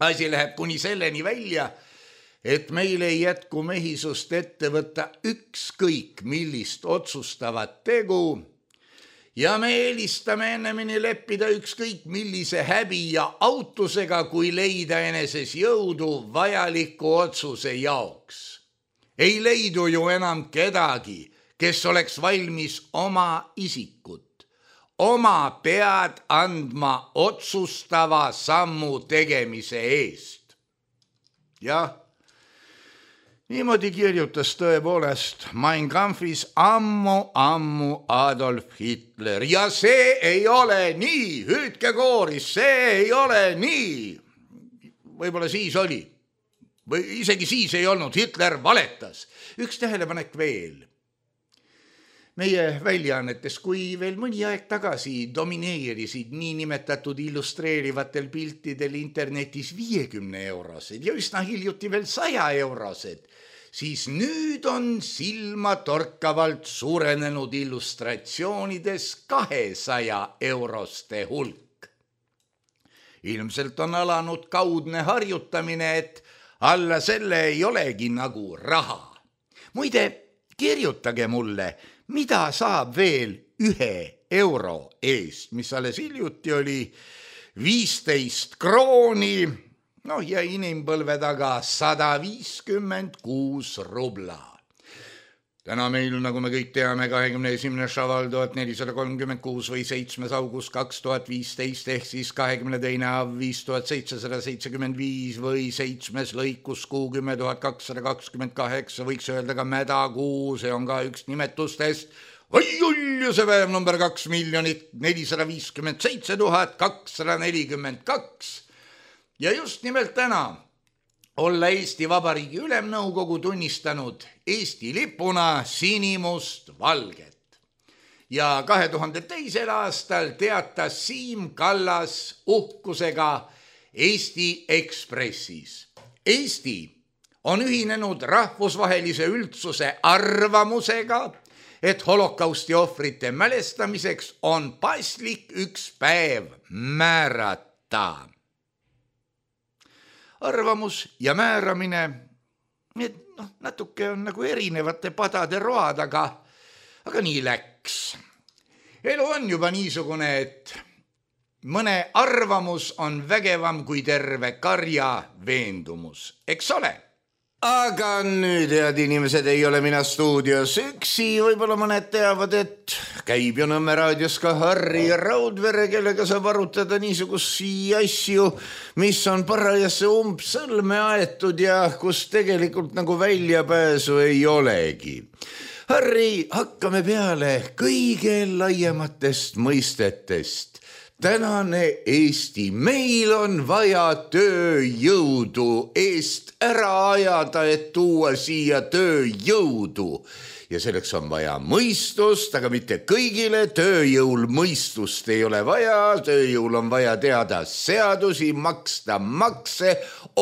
Asi läheb kuni selleni välja, et meil ei jätku mehisust ette võtta ükskõik millist otsustavat tegu ja me eelistame ennemini leppida ükskõik millise häbi ja autusega, kui leida eneses jõudu vajaliku otsuse jaoks. Ei leidu ju enam kedagi, kes oleks valmis oma isikut, oma pead andma otsustava sammu tegemise eest. Jah, niimoodi kirjutas tõepoolest Mein Kampfis ammu-ammu Adolf Hitler ja see ei ole nii, hüüdke kooris, see ei ole nii. Võib-olla siis oli, või isegi siis ei olnud, Hitler valetas. Üks tähelepanek veel. Meie väljaannetes, kui veel mõni aeg tagasi domineerisid niinimetatud illustreerivatel piltidel internetis viiekümne eurosed ja üsna hiljuti veel saja eurosed, siis nüüd on silma torkavalt suurenenud illustratsioonides kahesaja euroste hulk. Ilmselt on alanud kaudne harjutamine, et alla selle ei olegi nagu raha. Muide, kirjutage mulle, mida saab veel ühe euro eest, mis alles hiljuti oli viisteist krooni, noh ja inimpõlve taga sada viiskümmend kuus rubla. Täna meil, nagu me kõik teame, kahekümne esimene šaval tuhat nelisada kolmkümmend kuus või seitsmes august kaks tuhat viisteist ehk siis kahekümne teine av viis tuhat seitsesada seitsekümmend viis või seitsmes lõikus kuu kümme tuhat kakssada kakskümmend kaheksa, võiks öelda ka mädakuu, see on ka üks nimetustest. Oi ulju, see päev number kaks miljonit nelisada viiskümmend seitse tuhat kakssada nelikümmend kaks. Ja just nimelt täna olla Eesti Vabariigi Ülemnõukogu tunnistanud Eesti lipuna sinimust valget. Ja kahe tuhande teisel aastal teatas Siim Kallas uhkusega Eesti Ekspressis. Eesti on ühinenud rahvusvahelise üldsuse arvamusega, et holokausti ohvrite mälestamiseks on paslik üks päev määrata. Arvamus ja määramine, et noh, natuke on nagu erinevate padade road, aga, aga nii läks. Elu on juba niisugune, et mõne arvamus on vägevam kui terve karja veendumus, eks ole? Aga nüüd, head inimesed, ei ole mina stuudios üksi, võib-olla mõned teavad, et käib ju Nõmme raadios ka Harri Raudvere, kellega saab arutada niisugusi asju, mis on parajasse umbsõlme aetud ja kus tegelikult nagu väljapääsu ei olegi. Harri, hakkame peale kõige laiematest mõistetest. Tänane Eesti, meil on vaja tööjõudu eest ära ajada, et tuua siia tööjõudu. Ja selleks on vaja mõistust, aga mitte kõigile tööjõul mõistust ei ole vaja. Tööjõul on vaja teada seadusi, maksta makse,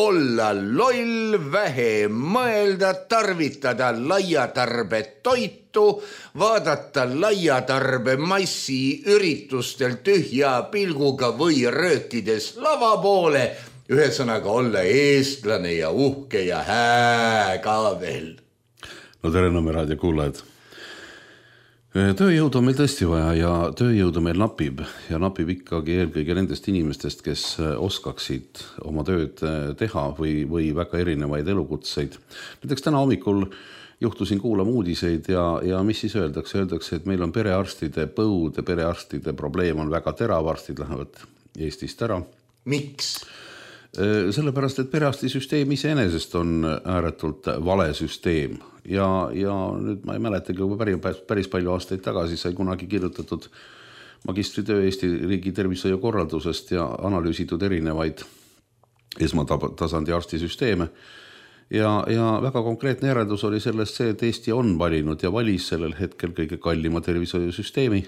olla loll, vähe mõelda, tarvitada laiatarbe toitu, vaadata laiatarbe massi üritustel tühja pilguga või röökides lava poole, ühesõnaga olla eestlane ja uhke ja hää ka veel. No tere Nõmme raadio kuulajad. Tööjõudu on meil tõesti vaja ja tööjõudu meil napib ja napib ikkagi eelkõige nendest inimestest, kes oskaksid oma tööd teha või, või väga erinevaid elukutseid. Näiteks täna hommikul juhtusin kuulama uudiseid ja, ja mis siis öeldakse? Öeldakse, et meil on perearstide põud ja perearstide probleem on väga terav, arstid lähevad Eestist ära. Miks? Sellepärast, et perearstisüsteem iseenesest on ääretult vale süsteem ja, ja nüüd ma ei mäletagi, kui päris, päris palju aastaid tagasi sai kunagi kirjutatud magistritöö Eesti riigi tervishoiu korraldusest ja analüüsitud erinevaid esmatasandi arstisüsteeme ja, ja väga konkreetne järeldus oli sellest see, et Eesti on valinud ja valis sellel hetkel kõige kallima tervishoiusüsteemi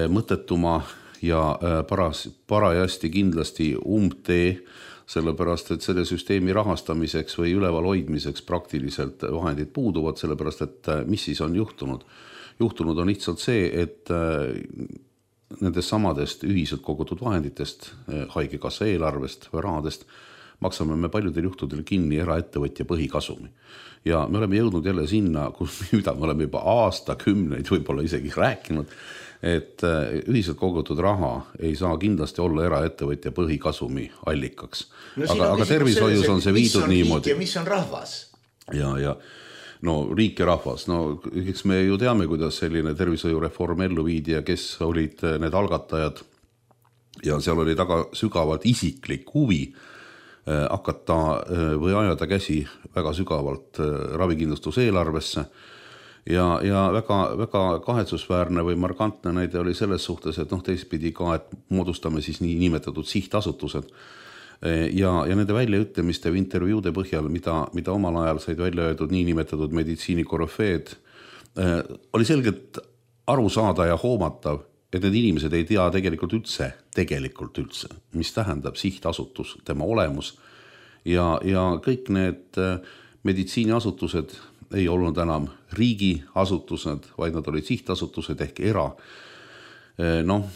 mõttetuma ja paras, parajasti kindlasti umbtee, sellepärast, et selle süsteemi rahastamiseks või üleval hoidmiseks praktiliselt vahendid puuduvad, sellepärast, et mis siis on juhtunud? juhtunud on lihtsalt see, et nendest samadest ühiselt kogutud vahenditest, haigekassa eelarvest või rahadest maksame me paljudel juhtudel kinni eraettevõtja põhikasumi. Ja me oleme jõudnud jälle sinna, kus mida me oleme juba aastakümneid võib-olla isegi rääkinud, et ühiselt kogutud raha ei saa kindlasti olla eraettevõtja põhikasumi allikaks. No, aga aga tervishoius on see viidud niimoodi. Ja mis on rahvas? Ja, ja no riik ja rahvas, no eks me ju teame, kuidas selline tervishoiureform ellu viidi ja kes olid need algatajad ja seal oli taga sügavalt isiklik huvi hakata või ajada käsi väga sügavalt ravikindlustuse eelarvesse ja, ja väga, väga kahetsusväärne või markantne näide oli selles suhtes, et noh, teistpidi ka, et moodustame siis nii nimetatud sihtasutused ja, ja nende väljaütlemiste või intervjuude põhjal, mida, mida omal ajal said välja öeldud nii nimetatud meditsiinikorofeed, oli selgelt aru saada ja hoomatav, et need inimesed ei tea tegelikult üldse, tegelikult üldse, mis tähendab sihtasutus, tema olemus ja, ja kõik need meditsiiniasutused ei olnud enam riigiasutused, vaid nad olid sihtasutused ehk era. Noh,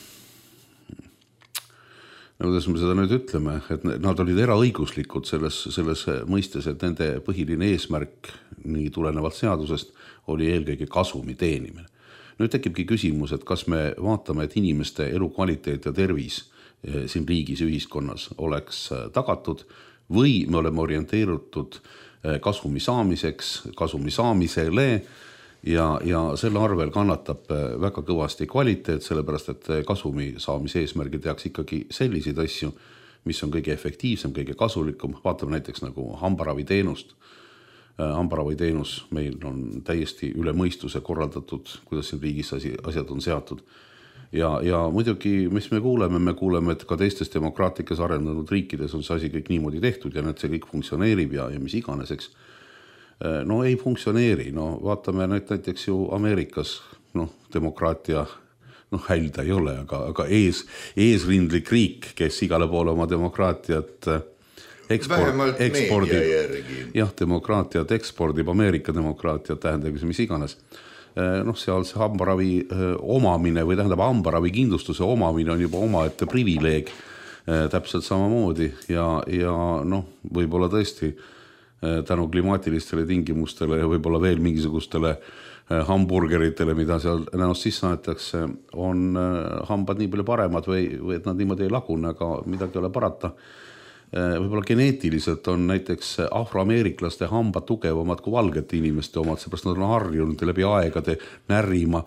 kuidas me seda nüüd ütleme, et nad olid eraõiguslikud selles, selles mõistes, et nende põhiline eesmärk nii tulenevalt seadusest oli eelkõige kasumi teenimine. Nüüd tekibki küsimus, et kas me vaatame, et inimeste elukvaliteet ja tervis siin riigis ühiskonnas oleks tagatud või me oleme orienteerutud kasumi saamiseks, kasumi saamisele ja, ja selle arvel kannatab väga kõvasti kvaliteet, sellepärast et kasumi saamise eesmärgil tehakse ikkagi selliseid asju, mis on kõige efektiivsem, kõige kasulikum. Vaatame näiteks nagu hambaraviteenust. Hambaraviteenus meil on täiesti üle mõistuse korraldatud, kuidas siin riigis asjad on seatud. Ja, ja muidugi, mis me kuuleme, me kuuleme, et ka teistes demokraatlikes arenenud riikides on see asi kõik niimoodi tehtud ja need see kõik funktsioneerib ja, ja mis iganeseks. No ei funktsioneeri, no vaatame näiteks ju Ameerikas, noh, demokraatia, noh, hälda ei ole, aga, aga ees, eesrindlik riik, kes igale poole oma demokraatiat Eksport, ekspordib, jah, demokraatiat ekspordib, Ameerika demokraatiat tähendab, mis iganes. Noh, seal see hambaravi omamine või tähendab hambaravi kindlustuse omamine on juba omaette privileeg täpselt samamoodi ja, ja noh, võib-olla tõesti tänu klimaatilistele tingimustele ja võib-olla veel mingisugustele hamburgeritele, mida seal näost sisse aetakse, on hambad nii palju paremad või, või et nad niimoodi ei lagune, aga midagi ei ole parata. Võib-olla geneetiliselt on näiteks afroameeriklaste hambad tugevamad kui valgete inimeste omad, seepärast nad on harjunud läbi aegade närima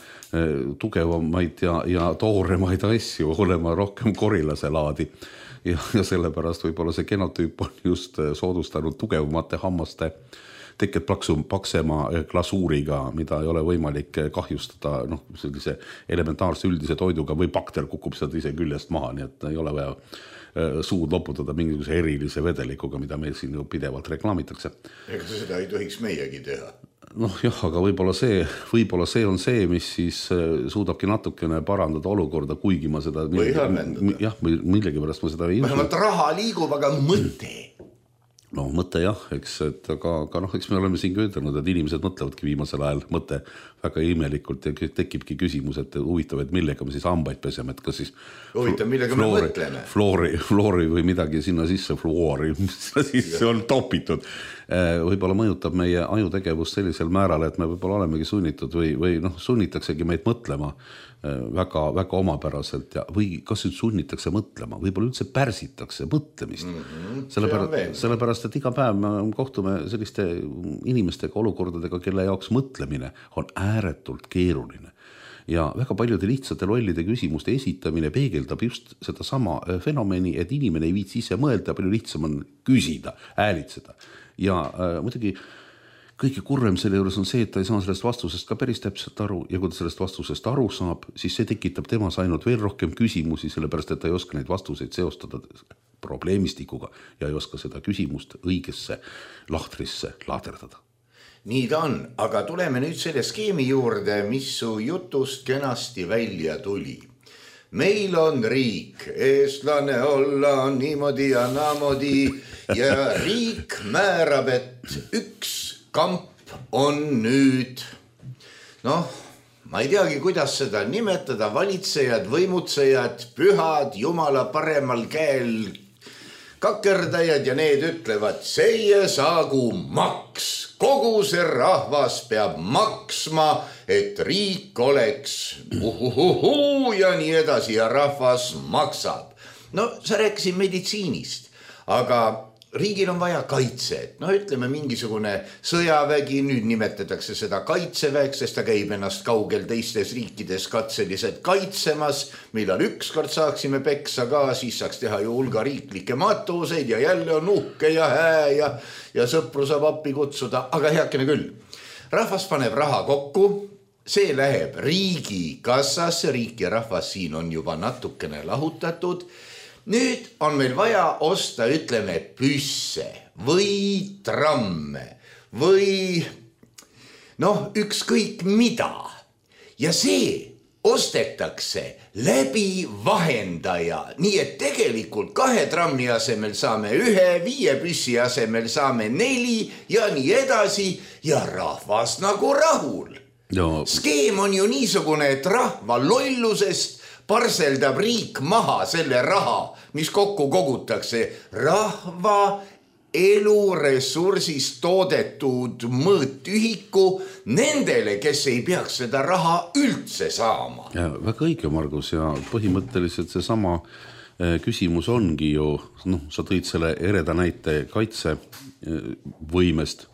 tugevamaid ja, ja tooremaid asju, olema rohkem korilase laadi. Ja, ja sellepärast võib-olla see genotüüp on just soodustanud tugevamate hammaste teket plaksu paksema glasuuriga, mida ei ole võimalik kahjustada noh, sellise elementaarse üldise toiduga või bakter kukub sealt ise küljest maha, nii et ei ole vaja suud loputada mingisuguse erilise vedelikuga, mida meil siin ju pidevalt reklaamitakse. Ega seda ei tohiks meiegi teha. Noh jah, aga võib-olla see, võib-olla see on see, mis siis suudabki natukene parandada olukorda, kuigi ma seda või halvendada. Jah, millegi pärast ma seda ei usu. Vähemalt raha liigub, aga mõte. No mõte jah, eks, et aga, aga noh, eks me oleme siin ütelnud, et inimesed mõtlevadki viimasel ajal mõte väga imelikult ja tekibki küsimus, et huvitav, et millega me siis hambaid peseme, et kas siis huvitav, millega floori, me mõtleme floori, floori või midagi sinna sisse, fluori, mis sisse on topitud. Võib-olla mõjutab meie ajutegevust sellisel määral, et me võib-olla olemegi sunnitud või, või noh, sunnitaksegi meid mõtlema väga, väga omapäraselt ja, või kas nüüd sunnitakse mõtlema, võib-olla üldse pärsitakse mõtlemist. Mm-hmm. Sellepärast, sellepärast, et iga päev me kohtume selliste inimestega, olukordadega, kelle jaoks mõtlemine on ääretult keeruline. Ja väga paljude lihtsate lollide küsimuste esitamine peegeldab just seda sama fenomeni, et inimene ei viitsi ise mõelda, palju lihtsam on küsida, häälitseda. Ja äh, muidugi kõige kurvem selle juures on see, et ta ei saa sellest vastusest ka päris täpselt aru ja kui ta sellest vastusest aru saab, siis see tekitab temas ainult veel rohkem küsimusi, sellepärast et ta ei oska neid vastuseid seostada probleemistikuga ja ei oska seda küsimust õigesse lahtrisse laaderdada. Nii ta on, aga tuleme nüüd selle skeemi juurde, mis su jutust kenasti välja tuli. Meil on riik, eestlane olla niimoodi ja naamodi ja riik määrab, et üks kamp on nüüd, noh, ma ei teagi, kuidas seda nimetada, valitsejad, võimutsejad, pühad, jumala paremal käel kakerdajad ja need ütlevad, seie saagu maks. Kogu see rahvas peab maksma, et riik oleks uhuhuhu ja nii edasi ja rahvas maksab. No sa rääkisid meditsiinist, aga riigil on vaja kaitset. No ütleme mingisugune sõjavägi, nüüd nimetatakse seda kaitseväeks, sest ta käib ennast kaugel teistes riikides katseliselt kaitsemas. Millal ükskord saaksime peksa ka, siis saaks teha ju hulga riiklikke matuseid ja jälle on uhke ja hää ja, ja sõpru saab appi kutsuda, aga heakene küll. Rahvas paneb raha kokku, see läheb riigi kassasse, riik ja rahvas siin on juba natukene lahutatud. Nüüd on meil vaja osta, ütleme, püsse või tramme või noh, ükskõik mida. Ja see ostetakse läbi vahendaja, nii et tegelikult kahe trammi asemel saame ühe, viie püssi asemel saame neli ja nii edasi ja rahvas nagu rahul. No. Skeem on ju niisugune, et rahva lollusest parseldab riik maha selle raha, mis kokku kogutakse rahva eluressursist toodetud mõõtühiku nendele, kes ei peaks seda raha üldse saama. Ja, väga õige, Margus, ja põhimõtteliselt see sama küsimus ongi ju, noh, sa tõid selle ereda näite kaitsevõimest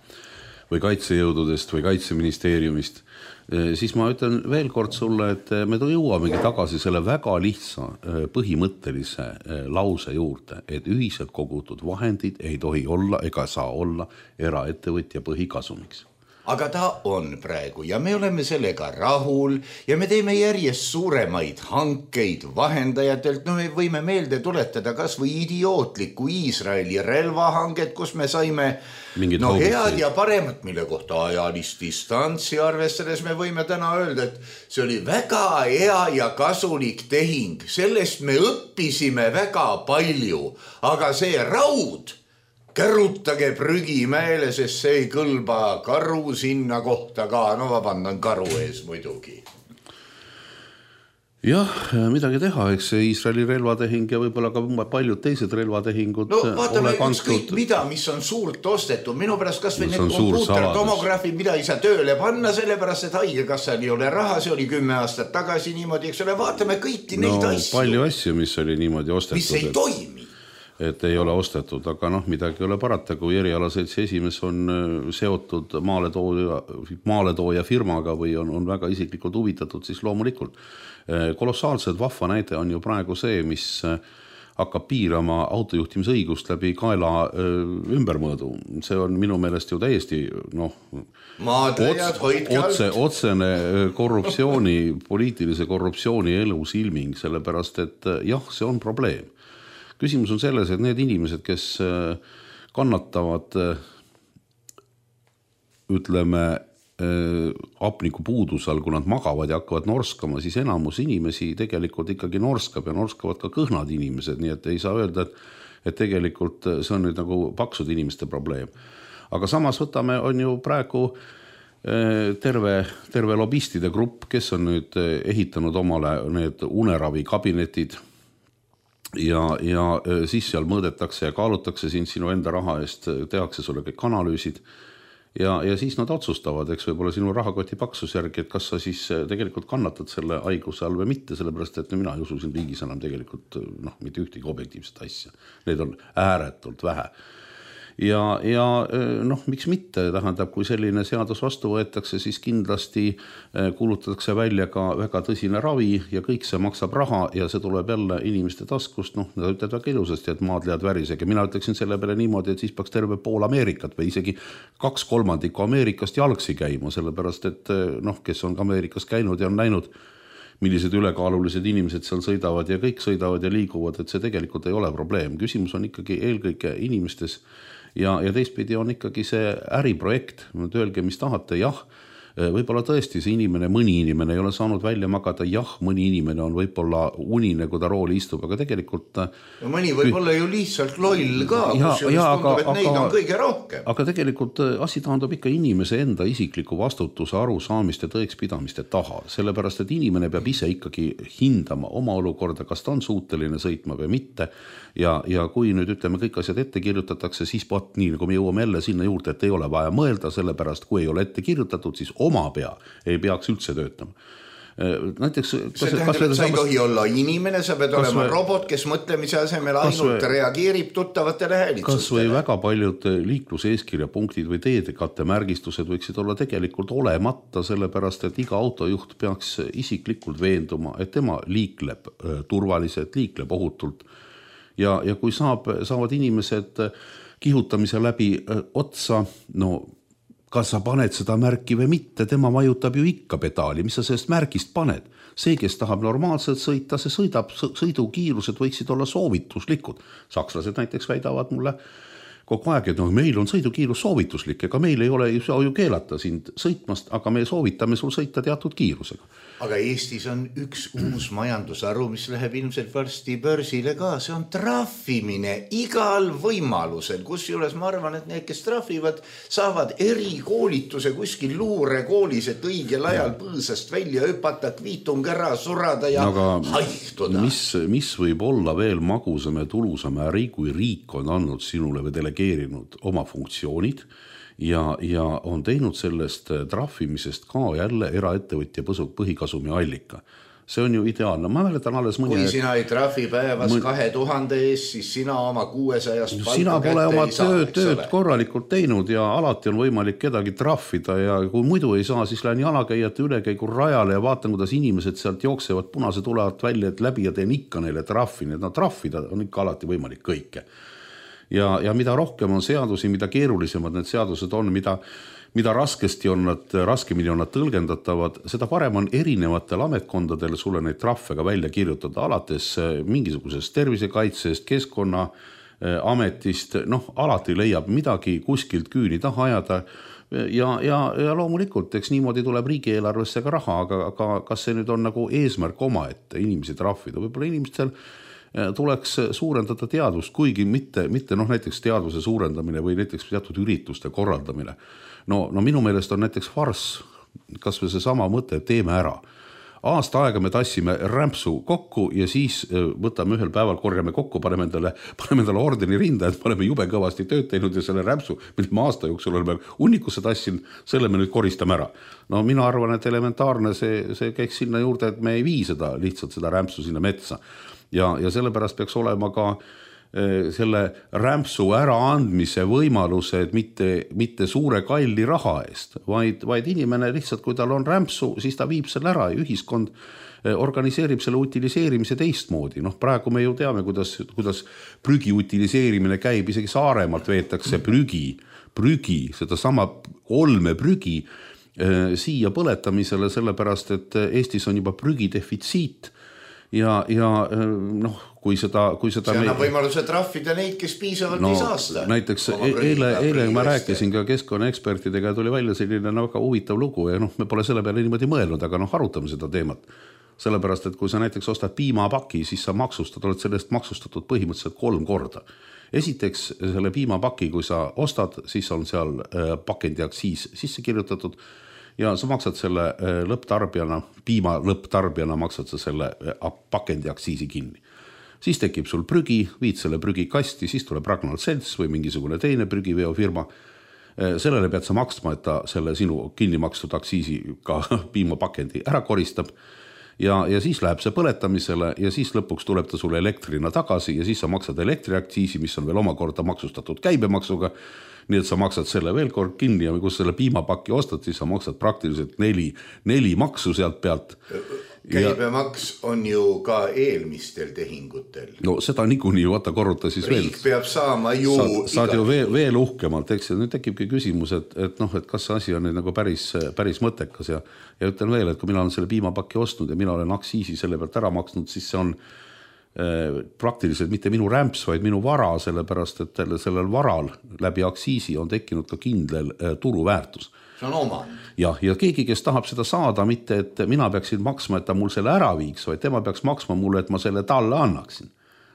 või kaitsejõududest või kaitseministeeriumist, siis ma ütlen veel kord sulle, et me jõuamegi tagasi selle väga lihtsa põhimõttelise lause juurde, et ühiselt kogutud vahendid ei tohi olla ega saa olla eraettevõtja põhikasumiks. Aga ta on praegu ja me oleme sellega rahul ja me teeme järjest suuremaid hankeid vahendajatelt. No me võime meelde tuletada kas või idiootliku Iisraeli relvahanget, kus me saime no, head ja paremat, mille kohta ajalist distantsi arvestades me võime täna öelda, et see oli väga hea ja kasulik tehing. Sellest me õppisime väga palju, aga see raud kärutage prügimäele, sest see ei kõlba karu sinna kohta ka. No vabandan karu ees muidugi. Jah, midagi teha, eks see Iisraeli relvatehing ja võib-olla ka paljud teised relvatehingud. No vaatame ükskõik mida, mis on suurt ostetud. Minu pärast kas või need kompuutertomograafid, mida ei saa tööle panna, sellepärast, et haigekassal ei ole raha, see oli kümme aastat tagasi niimoodi, eks ole, vaatame kõiki neid no, asju. Palju asju, mis oli niimoodi ostetud. Mis ei toimi. Et ei ole ostetud, aga noh, midagi ei ole parata, kui erialaseltsi esimees on seotud maaletooja, maaletooja firmaga või on, on väga isiklikult huvitatud, siis loomulikult. Kolossaalselt vahva näide on ju praegu see, mis hakkab piirama autojuhtimisõigust läbi kaela ümbermõõdu. See on minu meelest ju täiesti noh, otse, otsene korruptsiooni, poliitilise korruptsiooni elus ilming, sellepärast et jah, see on probleem. Küsimus on selles, et need inimesed, kes kannatavad, ütleme, hapniku puudusel, kui nad magavad ja hakkavad norskama, siis enamus inimesi tegelikult ikkagi norskab ja norskavad ka kõhnad inimesed, nii et ei saa öelda, et, et tegelikult see on nüüd nagu paksud inimeste probleem. Aga samas võtame, on ju praegu terve, terve lobistide grupp, kes on nüüd ehitanud omale need uneravi kabinetid, Ja, ja siis seal mõõdetakse ja kaalutakse siin sinu enda raha eest, tehakse sulle kõik analüüsid ja, ja siis nad otsustavad, eks võib-olla sinu rahakoti paksus järgi, et kas sa siis tegelikult kannatad selle haiguse all või mitte, sellepärast et mina ei usu siin riigis enam tegelikult noh, mitte ühtegi objektiivset asja. Need on ääretult vähe. Ja, ja noh, miks mitte, tähendab, kui selline seadus vastu võetakse, siis kindlasti kuulutatakse välja ka väga tõsine ravi ja kõik see maksab raha ja see tuleb jälle inimeste taskust, noh, nad ütlevad väga ilusasti, et maadlead värisega. Mina ütleksin selle peale niimoodi, et siis peaks terve pool Ameerikat või isegi kaks kolmandikku Ameerikast jalgsi käima, sellepärast et noh, kes on Ameerikas käinud ja on näinud, millised ülekaalulised inimesed seal sõidavad ja kõik sõidavad ja liiguvad, et see tegelikult ei ole probleem. Küsimus on ikkagi eelkõige inimestes ja, ja teistpidi on ikkagi see äriprojekt. Öelge, mis tahate, jah, Võib-olla tõesti see inimene, mõni inimene ei ole saanud välja magada, jah, mõni inimene on võib-olla unine, kui ta rooli istub, aga tegelikult ja mõni võib-olla ju lihtsalt loll ka, ja, kus just ja, tundub, et aga, neid aga, on kõige rohkem. Aga tegelikult asi taandub ikka inimese enda isikliku vastutuse arusaamiste tõekspidamiste taha, sellepärast, et inimene peab ise ikkagi hindama oma olukorda, kas ta on suuteline sõitma või mitte ja, ja kui nüüd ütleme kõik asjad ette kirjutatakse, siis pot nii, nagu me jõuame jälle sinna juurde, et ei ole vaja mõelda, sellepärast kui ei ole ette kirjutatud, siis oma pea ei peaks üldse töötama. Näiteks, see tähendab, et sa ei tohi olla inimene, sa pead olema või, robot, kes mõtlemise asemel ainult või, reageerib tuttavatele häälitsustele. Kas või väga paljud liikluseeskirja punktid või teedekatte märgistused võiksid olla tegelikult olemata, sellepärast, et iga autojuht peaks isiklikult veenduma, et tema liikleb turvaliselt, liikleb ohutult. Ja, ja kui saab, saavad inimesed kihutamise läbi otsa, no kas sa paned seda märki või mitte, tema vajutab ju ikka pedaali, mis sa sellest märgist paned. See, kes tahab normaalselt sõita, see sõidab, sõidukiirused võiksid olla soovituslikud. Sakslased näiteks väidavad mulle kogu aeg, et no, meil on sõidukiirus soovituslik, ega meil ei ole ju, ju keelata sind sõitmast, aga me soovitame sul sõita teatud kiirusega. Aga Eestis on üks uus majandusharu, mis läheb ilmselt varsti börsile ka, see on trahvimine igal võimalusel, kus juures ma arvan, et need, kes trahvivad, saavad erikoolituse kuskil luurekoolis, et õigel ajal põõsast välja hüpata, kviitung ära surada ja aga haihtuda. Mis, mis võib olla veel magusam ja tulusam äri, kui riik on andnud sinule või delegeerinud oma funktsioonid ja, ja on teinud sellest trahvimisest ka jälle eraettevõtja põhikasumi allika. See on ju ideaalne. Ma mäletan alles mõni... Kui sina ei trahvi päevas mõni... kahe tuhande ees, siis sina oma kuuesajast palka sina pole oma ei saa, tööd, tööd korralikult teinud ja alati on võimalik kedagi trahvida ja kui muidu ei saa, siis lähen jalakäijate ülekäigul rajale ja vaatan, kuidas inimesed sealt jooksevad punase tulevad välja, et läbi ja teen ikka neile trahvi. Need no, trahvida on ikka alati võimalik kõike. Ja, ja mida rohkem on seadusi, mida keerulisemad need seadused on, mida, mida raskesti on nad, raskemini on nad tõlgendatavad, seda parem on erinevatel ametkondadel sulle neid trahve ka välja kirjutada, alates mingisugusest tervisekaitsest, keskkonna ametist, noh, alati leiab midagi kuskilt küüni taha ajada ja, ja, ja loomulikult, eks niimoodi tuleb riigieelarvesse ka raha, aga, aga kas see nüüd on nagu eesmärk oma, et inimesi trahvida, võib-olla inimestel tuleks suurendada teadvust, kuigi mitte, mitte noh, näiteks teadvuse suurendamine või näiteks teatud ürituste korraldamine. No, no minu meelest on näiteks farss, kas või see sama mõte, teeme ära. Aasta aega me tassime rämpsu kokku ja siis võtame ühel päeval, korjame kokku, paneme endale, paneme endale ordeni rinda, et me oleme jube kõvasti tööd teinud ja selle rämpsu, mille me aasta jooksul oleme unnikusse tassin, selle me nüüd koristame ära. No mina arvan, et elementaarne see, see käiks sinna juurde, et me ei vii seda, lihtsalt seda rämpsu sinna metsa. Ja, ja sellepärast peaks olema ka e, selle rämpsu äraandmise võimaluse, et mitte, mitte suure kalli raha eest, vaid, vaid inimene lihtsalt, kui tal on rämpsu, siis ta viib selle ära ja ühiskond e, organiseerib selle utiliseerimise teistmoodi. Noh, praegu me ju teame, kuidas, kuidas prügi utiliseerimine käib, isegi Saaremaalt veetakse prügi, prügi, seda sama olme prügi e, siia põletamisele, sellepärast, et Eestis on juba prügi defitsiit. Ja, ja noh, kui seda, kui seda see annab me... võimaluse trahvida neid, kes piisavalt no, ei saasta. Näiteks eile, eile ma rääkisin ka keskkonnaekspertidega ja tuli välja selline väga huvitav lugu ja noh, me pole selle peale niimoodi mõelnud, aga noh, arutame seda teemat. Sellepärast, et kui sa näiteks ostad piimapaki, siis sa maksustad, oled sellest maksustatud põhimõtteliselt kolm korda. Esiteks selle piimapaki, kui sa ostad, siis on seal pakendiaktsiis sisse kirjutatud ja sa maksad selle lõpptarbijana, piima lõpptarbijana maksad sa selle pakendiaktsiisi kinni. Siis tekib sul prügi, viid selle prügi kasti, siis tuleb Ragnar Selts või mingisugune teine prügiveofirma. Sellele pead sa maksma, et ta selle sinu kinni makstud aktsiisi ka piimapakendi ära koristab. Ja, ja siis läheb see põletamisele ja siis lõpuks tuleb ta sulle elektrina tagasi ja siis sa maksad elektriaktsiisi, mis on veel omakorda maksustatud käibemaksuga. Nii et sa maksad selle veel kord kinni ja kus selle piimapaki ostad, siis sa maksad praktiliselt neli, neli maksu sealt pealt. Käibemaks on ju ka eelmistel tehingutel. No seda niikuinii vaata korruta siis Riik veel. Riik peab saama ju... Saad, saad ju veel, veel uhkemalt, eks, ja nüüd tekibki küsimus, et, et, noh, et kas see asi on nüüd nagu päris, päris mõttekas ja, ja ütlen veel, et kui mina olen selle piimapaki ostnud ja mina olen aktsiisi selle pealt ära maksnud, siis see on praktiliselt mitte minu rämps, vaid minu vara, sellepärast, et sellel varal läbi aktsiisi on tekkinud ka kindel turuväärtus. see on omand. jah, ja keegi, kes tahab seda saada, mitte et mina peaksin maksma, et ta mul selle ära viiks, vaid tema peaks maksma mulle, et ma selle talle annaksin.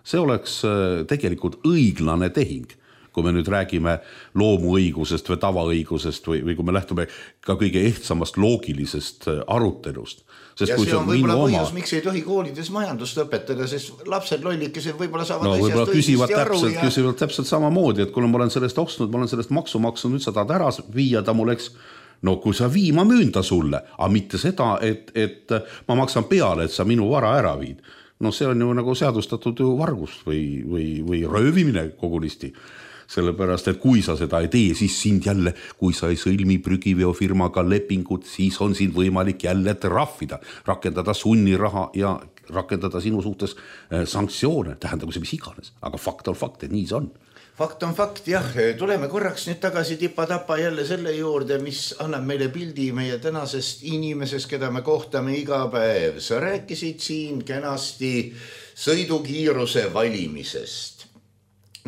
See oleks tegelikult õiglane tehing, kui me nüüd räägime loomuõigusest või tavaõigusest või, või kui me lähtume ka kõige ehtsamast loogilisest arutelust. Sest ja kui see on võib-olla oma... põhjus, miks ei tohi koolides majandust õpetada, sest lapsed lollikesed võib-olla saavad no, asjast küsivad õigesti aru. Täpselt, ja... küsivad täpselt sama moodi, et kui ma olen sellest ostnud, ma olen sellest maksu maksnud, nüüd sa tahad ära viia ta mul, eks. No kui sa vii, ma müün ta sulle, aga mitte seda, et, et ma maksan peale, et sa minu vara ära viid. No see on ju nagu seadustatud ju vargust või, või, või röövimine kogunisti. Sellepärast, et kui sa seda ei tee, siis sind jälle, kui sa ei sõlmi prügiveofirmaga lepingut, siis on sind võimalik jälle trahvida, rakendada sunniraha ja rakendada sinu suhtes sanktsioone, tähendagu see mis iganes. Aga fakt on fakt, et nii see on. Fakt on fakt, jah. Tuleme korraks nüüd tagasi tipa-tapa jälle selle juurde, mis annab meile pildi meie tänasest inimesest, keda me kohtame iga päev. Sa rääkisid siin kenasti sõidukiiruse valimisest.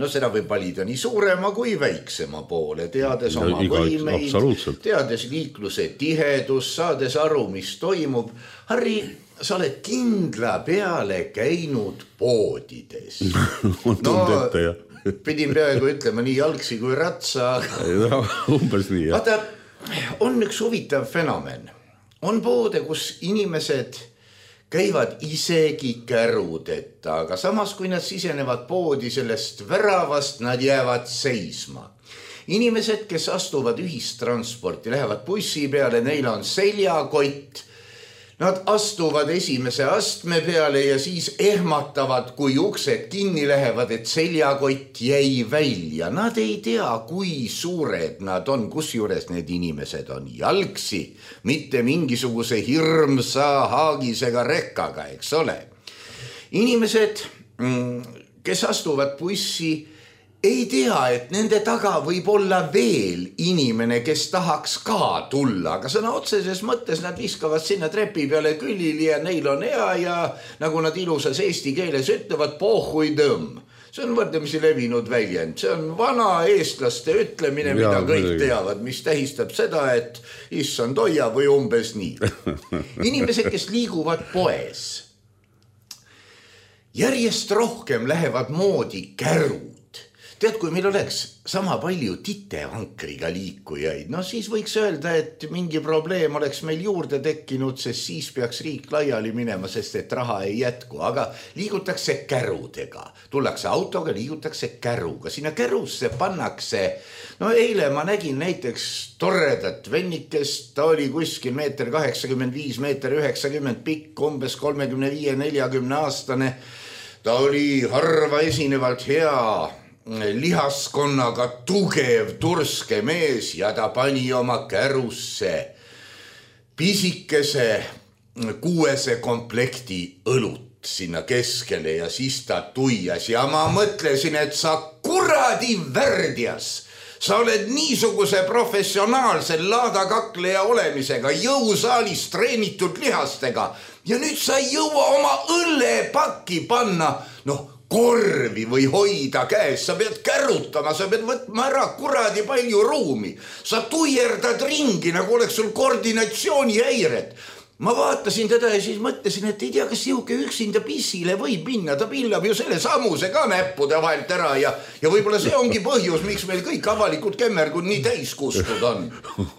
No seda võib valida nii suurema kui väiksema poole, teades oma no, võimeid, teades liikluse tihedus, saades aru, mis toimub. Harri, sa oled kindla peale käinud poodides. no, ette, jah. Pidin peaaegu ütlema nii jalgsi kui ratsa. No, umbes nii, jah. Vaata, on üks huvitav fenomen. On poode, kus inimesed käivad isegi kärudeta, aga samas kui nad sisenevad poodi sellest väravast, nad jäävad seisma. Inimesed, kes astuvad ühistransporti, lähevad bussi peale, neil on seljakott, nad astuvad esimese astme peale ja siis ehmatavad, kui uksed kinni lähevad, et seljakott jäi välja. Nad ei tea, kui suured nad on, kus juures need inimesed on jalgsi, mitte mingisuguse hirmsa haagisega rekkaga, eks ole. Inimesed, kes astuvad bussi, ei tea, et nende taga võib olla veel inimene, kes tahaks ka tulla, aga sõna otseses mõttes nad viskavad sinna trepi peale külili ja neil on hea ja nagu nad ilusas eesti keeles ütlevad, pohhui tõmm. See on võrdlemisi levinud väljend. See on vana eestlaste ütlemine, mida ja, kõik teavad, mis tähistab seda, et issand hoia või umbes nii. Inimesed, kes liiguvad poes, järjest rohkem lähevad moodi kärud. Tead, kui meil oleks sama palju titevankriga liikujaid, no siis võiks öelda, et mingi probleem oleks meil juurde tekkinud, sest siis peaks riik laiali minema, sest et raha ei jätku, aga liigutakse kärudega. Tullakse autoga, liigutakse käruga. Sinna kärusse pannakse, no eile ma nägin näiteks toredat vennikest, ta oli kuskil meeter kaheksakümmend viis, meeter üheksakümmend pikk, umbes kolmekümne viie neljakümne aastane. Ta oli harva esinevalt hea lihaskonnaga tugev turske mees ja ta pani oma kärusse pisikese kuuese komplekti õlut sinna keskele ja siis ta tuias ja ma mõtlesin, et sa kuradi värdjas, sa oled niisuguse professionaalse laadakakleja olemisega, jõusaalis treenitud lihastega ja nüüd sa ei jõua oma õllepakki panna, noh, korvi või hoida käes, sa pead kärutama, sa pead võtma ära kuradi palju ruumi. Sa tuierdad ringi, nagu oleks sul koordinatsioonihäired. Ma vaatasin teda ja siis mõtlesin, et ei tea, kas sihuke üksinda pissile võib minna, ta pillab ju selle samuse ka näppude vahelt ära ja, ja võib-olla see ongi põhjus, miks meil kõik avalikud kämmergud nii täis kustud on.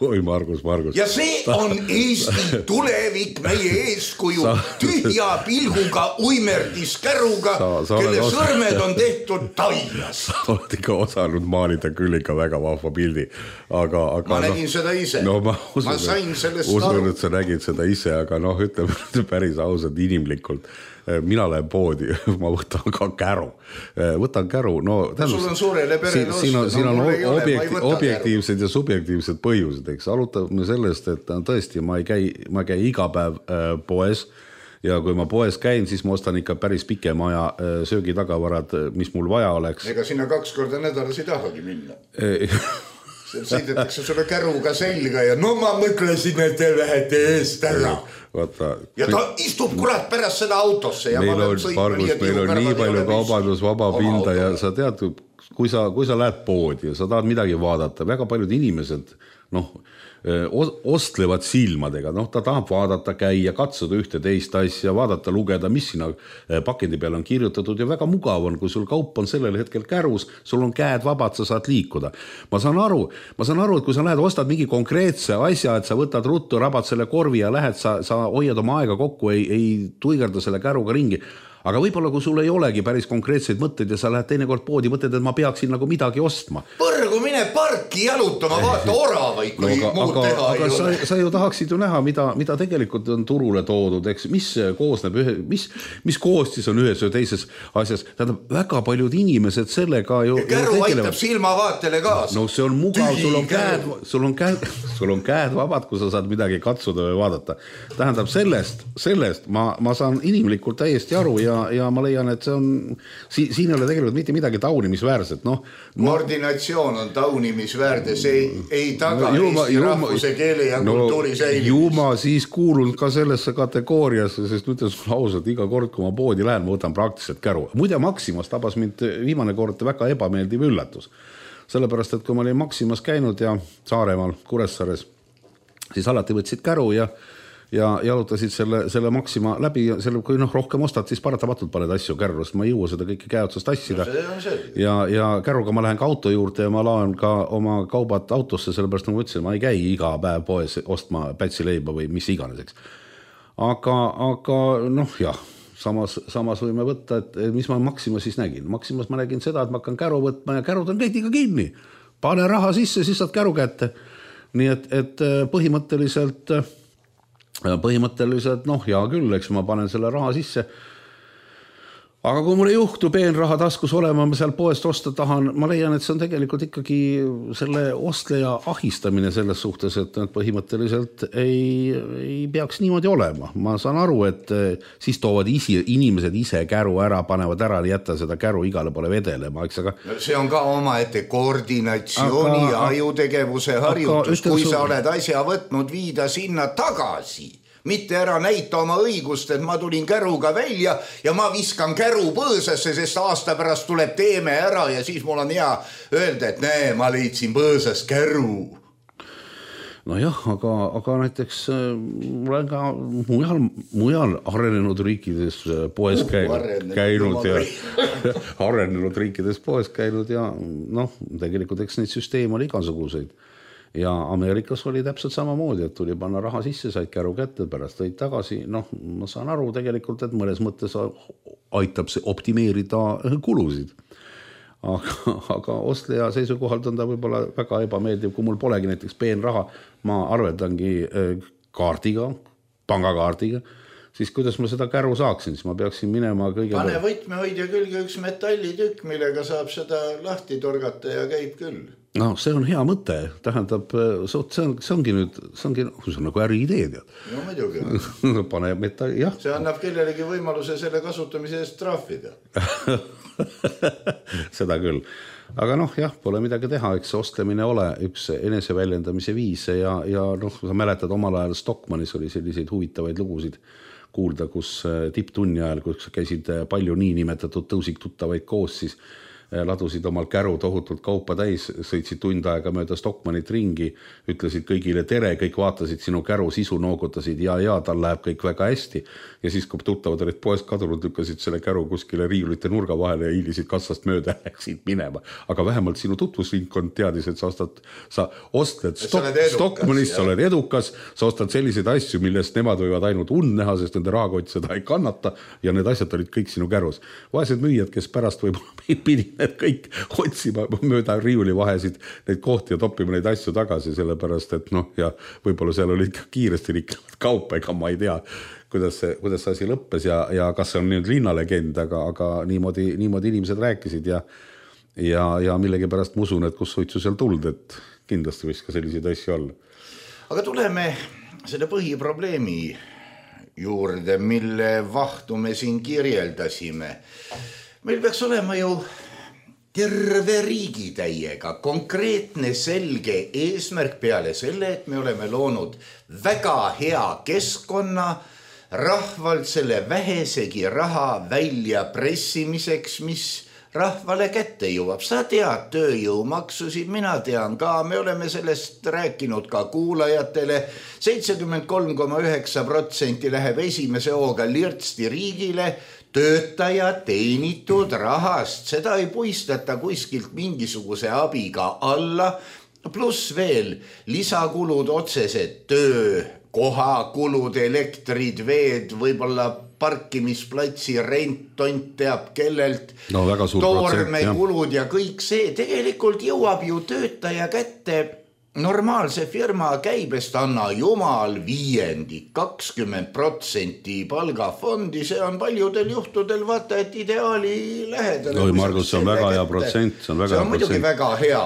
Oi, Margus, Margus. Ja see on Eesti tulevik, meie eeskuju, tühja pilguga uimerdis käruga, sa, sa kelle osa... sõrmed on tehtud taias. Sa oled ikka osanud maalida küll ikka väga vahva pildi, aga... aga ma nägin no, seda ise. No, ma usun, ma sain sellest usun, et sa nägid seda ise, aga noh, ütleme päris ausalt inimlikult. Mina lähen poodi, ma võtan ka käru. Võtan käru, no... Tähendab, sul on suurele perele osta. Siin on, siin on no, objekti, objektiivsed käru. Ja subjektiivsed põhjused, eks. Alutame sellest, et tõesti, ma ei käi, ma käi iga päev äh, poes ja kui ma poes käin, siis ma ostan ikka päris pikema aja äh, söögitagavarad, mis mul vaja oleks. Ega sinna kaks korda nädalas ei tahagi minna. Sõidetakse sulle käruga selga ja no ma mõtlesin, et te lähete eest ära. Vaata, ja ta istub kurat pärast seda autosse. Ja meil on, Margus, meil on nii palju kaubandus vaba pinda ja sa tead, kui sa, kui sa lähed poodi ja sa tahad midagi vaadata, väga paljud inimesed, noh, ostlevad silmadega, noh, ta tahab vaadata, käia, katsuda ühte teist asja, vaadata, lugeda, mis sinna pakendi peale on kirjutatud ja väga mugav on, kui sul kaup on sellel hetkel kärus, sul on käed vabad, sa saad liikuda. Ma saan aru, ma saan aru, et kui sa lähed, ostad mingi konkreetse asja, et sa võtad ruttu, rabad selle korvi ja lähed, sa, sa hoiad oma aega kokku, ei, ei tuigerda selle käruga ringi. Aga võib-olla, kui sul ei olegi päris konkreetseid mõtteid ja sa lähed teinekord poodi, mõtled, et ma peaksin nagu midagi ostma. Põrgu mine parki jalutama, vaata oravaid, kui no, aga, muud aga, teha aga ei sa, ole. Sa ju tahaksid ju näha, mida, mida tegelikult on turule toodud, eks, mis koosneb ühe, mis, mis koostis on ühes või teises asjas. Tähendab, väga paljud inimesed sellega ju... Ja käru aitab silmavaatele kaasa. No see on mugav, sul on, käed, sul, on käed, sul on käed vabad, kui sa saad midagi katsuda või vaadata. Tähendab, sellest, sellest ma, ma saan inimlikult täiesti aru ja Ja, ja ma leian, et see on, si, siin ei ole tegelikult mitte midagi taunimisväärset. No, koordinatsioon on taunimisväärde, see ei, ei taga no, Eesti juuma, rahvuse, keele ja no, kultuuri säilimist. Ju ma siis kuulun ka sellesse kategooriasse, sest ütlen sulle ausalt, iga kord, kui ma poodi lähen, ma võtan praktiliselt käru. Muide, Maximas tabas mind viimane kord väga ebameeldiv üllatus. Sellepärast, et kui ma olin Maximas käinud ja Saaremaal, Kuressaares, siis alati võtsid käru ja ja jalutasid selle, selle Maxima läbi ja selle, kui noh, rohkem ostad, siis paratamatult paned asju kärru, sest ma ei jõua seda kõike käeotsast tassida. No, ja, ja kärruga ma lähen ka auto juurde ja ma laen ka oma kaubad autosse, sellepärast nagu ütlesin, ma ei käi iga päev poes ostma pätsileiba või mis iganeseks. Aga, aga noh, jah, samas, samas võime võtta, et mis ma Maximas siis nägin. Maximas ma nägin seda, et ma hakkan käru võtma ja kärud on kõigiga kinni. Pane raha sisse, siis saad käru kätte. Nii et, et põhimõtteliselt... põhimõtteliselt, noh, hea küll, eks ma panen selle raha sisse. Aga kui mul ei juhtu peenraha taskus olema, ma seal poest osta tahan, ma leian, et see on tegelikult ikkagi selle ostleja ahistamine selles suhtes, et põhimõtteliselt ei, ei peaks niimoodi olema. Ma saan aru, et siis toovad isi, inimesed ise käru ära, panevad ära, jätta seda käru igale pole vedelema. Aga... see on ka oma ette koordinatsiooni ja ajutegevuse harjutus, kui sa oled asja võtnud, viida sinna tagasi. Mitte ära näita oma õigust, et ma tulin käruga välja ja ma viskan käru põõsasse, sest aasta pärast tuleb teeme ära ja siis mul on hea öelda, et näe, ma leidsin põõsas käru. No jah, aga, aga näiteks mul on ka mujal, mujal arenenud riikides poes käinud, käinud ja arenenud riikides poes käinud ja noh, tegelikult eks neid süsteem oli igasuguseid. Ja Ameerikas oli täpselt samamoodi, et tuli panna raha sisse, said käru kätte, pärast tõid tagasi. Noh, ma saan aru tegelikult, et mõnes mõttes aitab see optimeerida kulusid. Aga, aga ostleja seisukohalt on ta võib-olla väga ebameeldiv, kui mul polegi näiteks peenraha, ma arveldangi kaardiga, pangakaardiga, siis kuidas ma seda käru saaksin, siis ma peaksin minema kõige... Pane võtmehoidja külge üks metallitükk, millega saab seda lahti torgata ja käib küll. No see on hea mõte, tähendab, see, on, see ongi nüüd, see ongi see on nagu äri idee, tead. No muidugi. Pane metall, jah. See annab kellelegi võimaluse selle kasutamise eest trahvida. Seda küll. Aga noh, jah, pole midagi teha, eks ostlemine ole üks eneseväljendamise viise ja, ja noh, sa mäletad omal ajal Stockmanis oli selliseid huvitavaid lugusid kuulda, kus tipptunni ajal, kus käisid palju nii nimetatud tõusik tuttavaid koos, siis ladusid omal käru tohutult kaupa täis, sõitsid tund aega mööda Stockmanit ringi, ütlesid kõigile tere, kõik vaatasid sinu käru sisu, noogutasid ja, ja tal läheb kõik väga hästi. Ja siis, kui tuttavad olid poest kadunud, lükkasid selle käru kuskile riiulite nurga vahele ja hiilisid kassast mööda ja läksid minema. Aga vähemalt sinu tutvusringkond teadis, et sa ostad, sa ostled Stockmanist, sa oled edukas, sa ostad selliseid asju, millest nemad võivad ainult und näha, sest nende rahakott seda ei kannata ja need asjad olid kõik sinu kärus. Vaesed müüjad, kes pärast võib-olla pidid et kõik otsima mööda riiuli vahesid neid kohti ja toppima neid asju tagasi, sellepärast, et noh, ja võib-olla seal oli ikka kiiresti riklevad kaupa, ega ma ei tea, kuidas see, kuidas see asi lõppes ja, ja kas see on nüüd linnalegend, aga, aga niimoodi, niimoodi inimesed rääkisid ja, ja, ja millegi pärast ma usun, et kus suitsu seal tuld, et kindlasti võiks ka selliseid asju olla. Aga tuleme selle põhiprobleemi juurde, mille vahtu me siin kirjeldasime. Meil peaks olema ju terve riigi täiega konkreetne selge eesmärk peale selle, et me oleme loonud väga hea keskkonna rahvalt selle vähesegi raha välja pressimiseks, mis rahvale kätte jõuab. Sa tead tööjõumaksusid, mina tean ka, me oleme sellest rääkinud ka kuulajatele. seitsekümmend kolm koma üheksa protsenti läheb esimese hooga lirtsti riigile, töötaja teenitud rahast, seda ei puistata kuskilt mingisuguse abiga alla, pluss veel lisakulud otsesed, töö, kohakulud, elektrid, veed, võib-olla parkimisplatsi rent, tont teab kellelt, no, toormekulud ja kõik see tegelikult jõuab ju töötaja kätte normaalse firma käibest, anna jumal viiendik, kakskümmend protsenti palgafondi, see on paljudel juhtudel vaata, et ideaali lähedale. Oi, Margus, see on väga hea protsent, see on väga see on muidugi väga hea.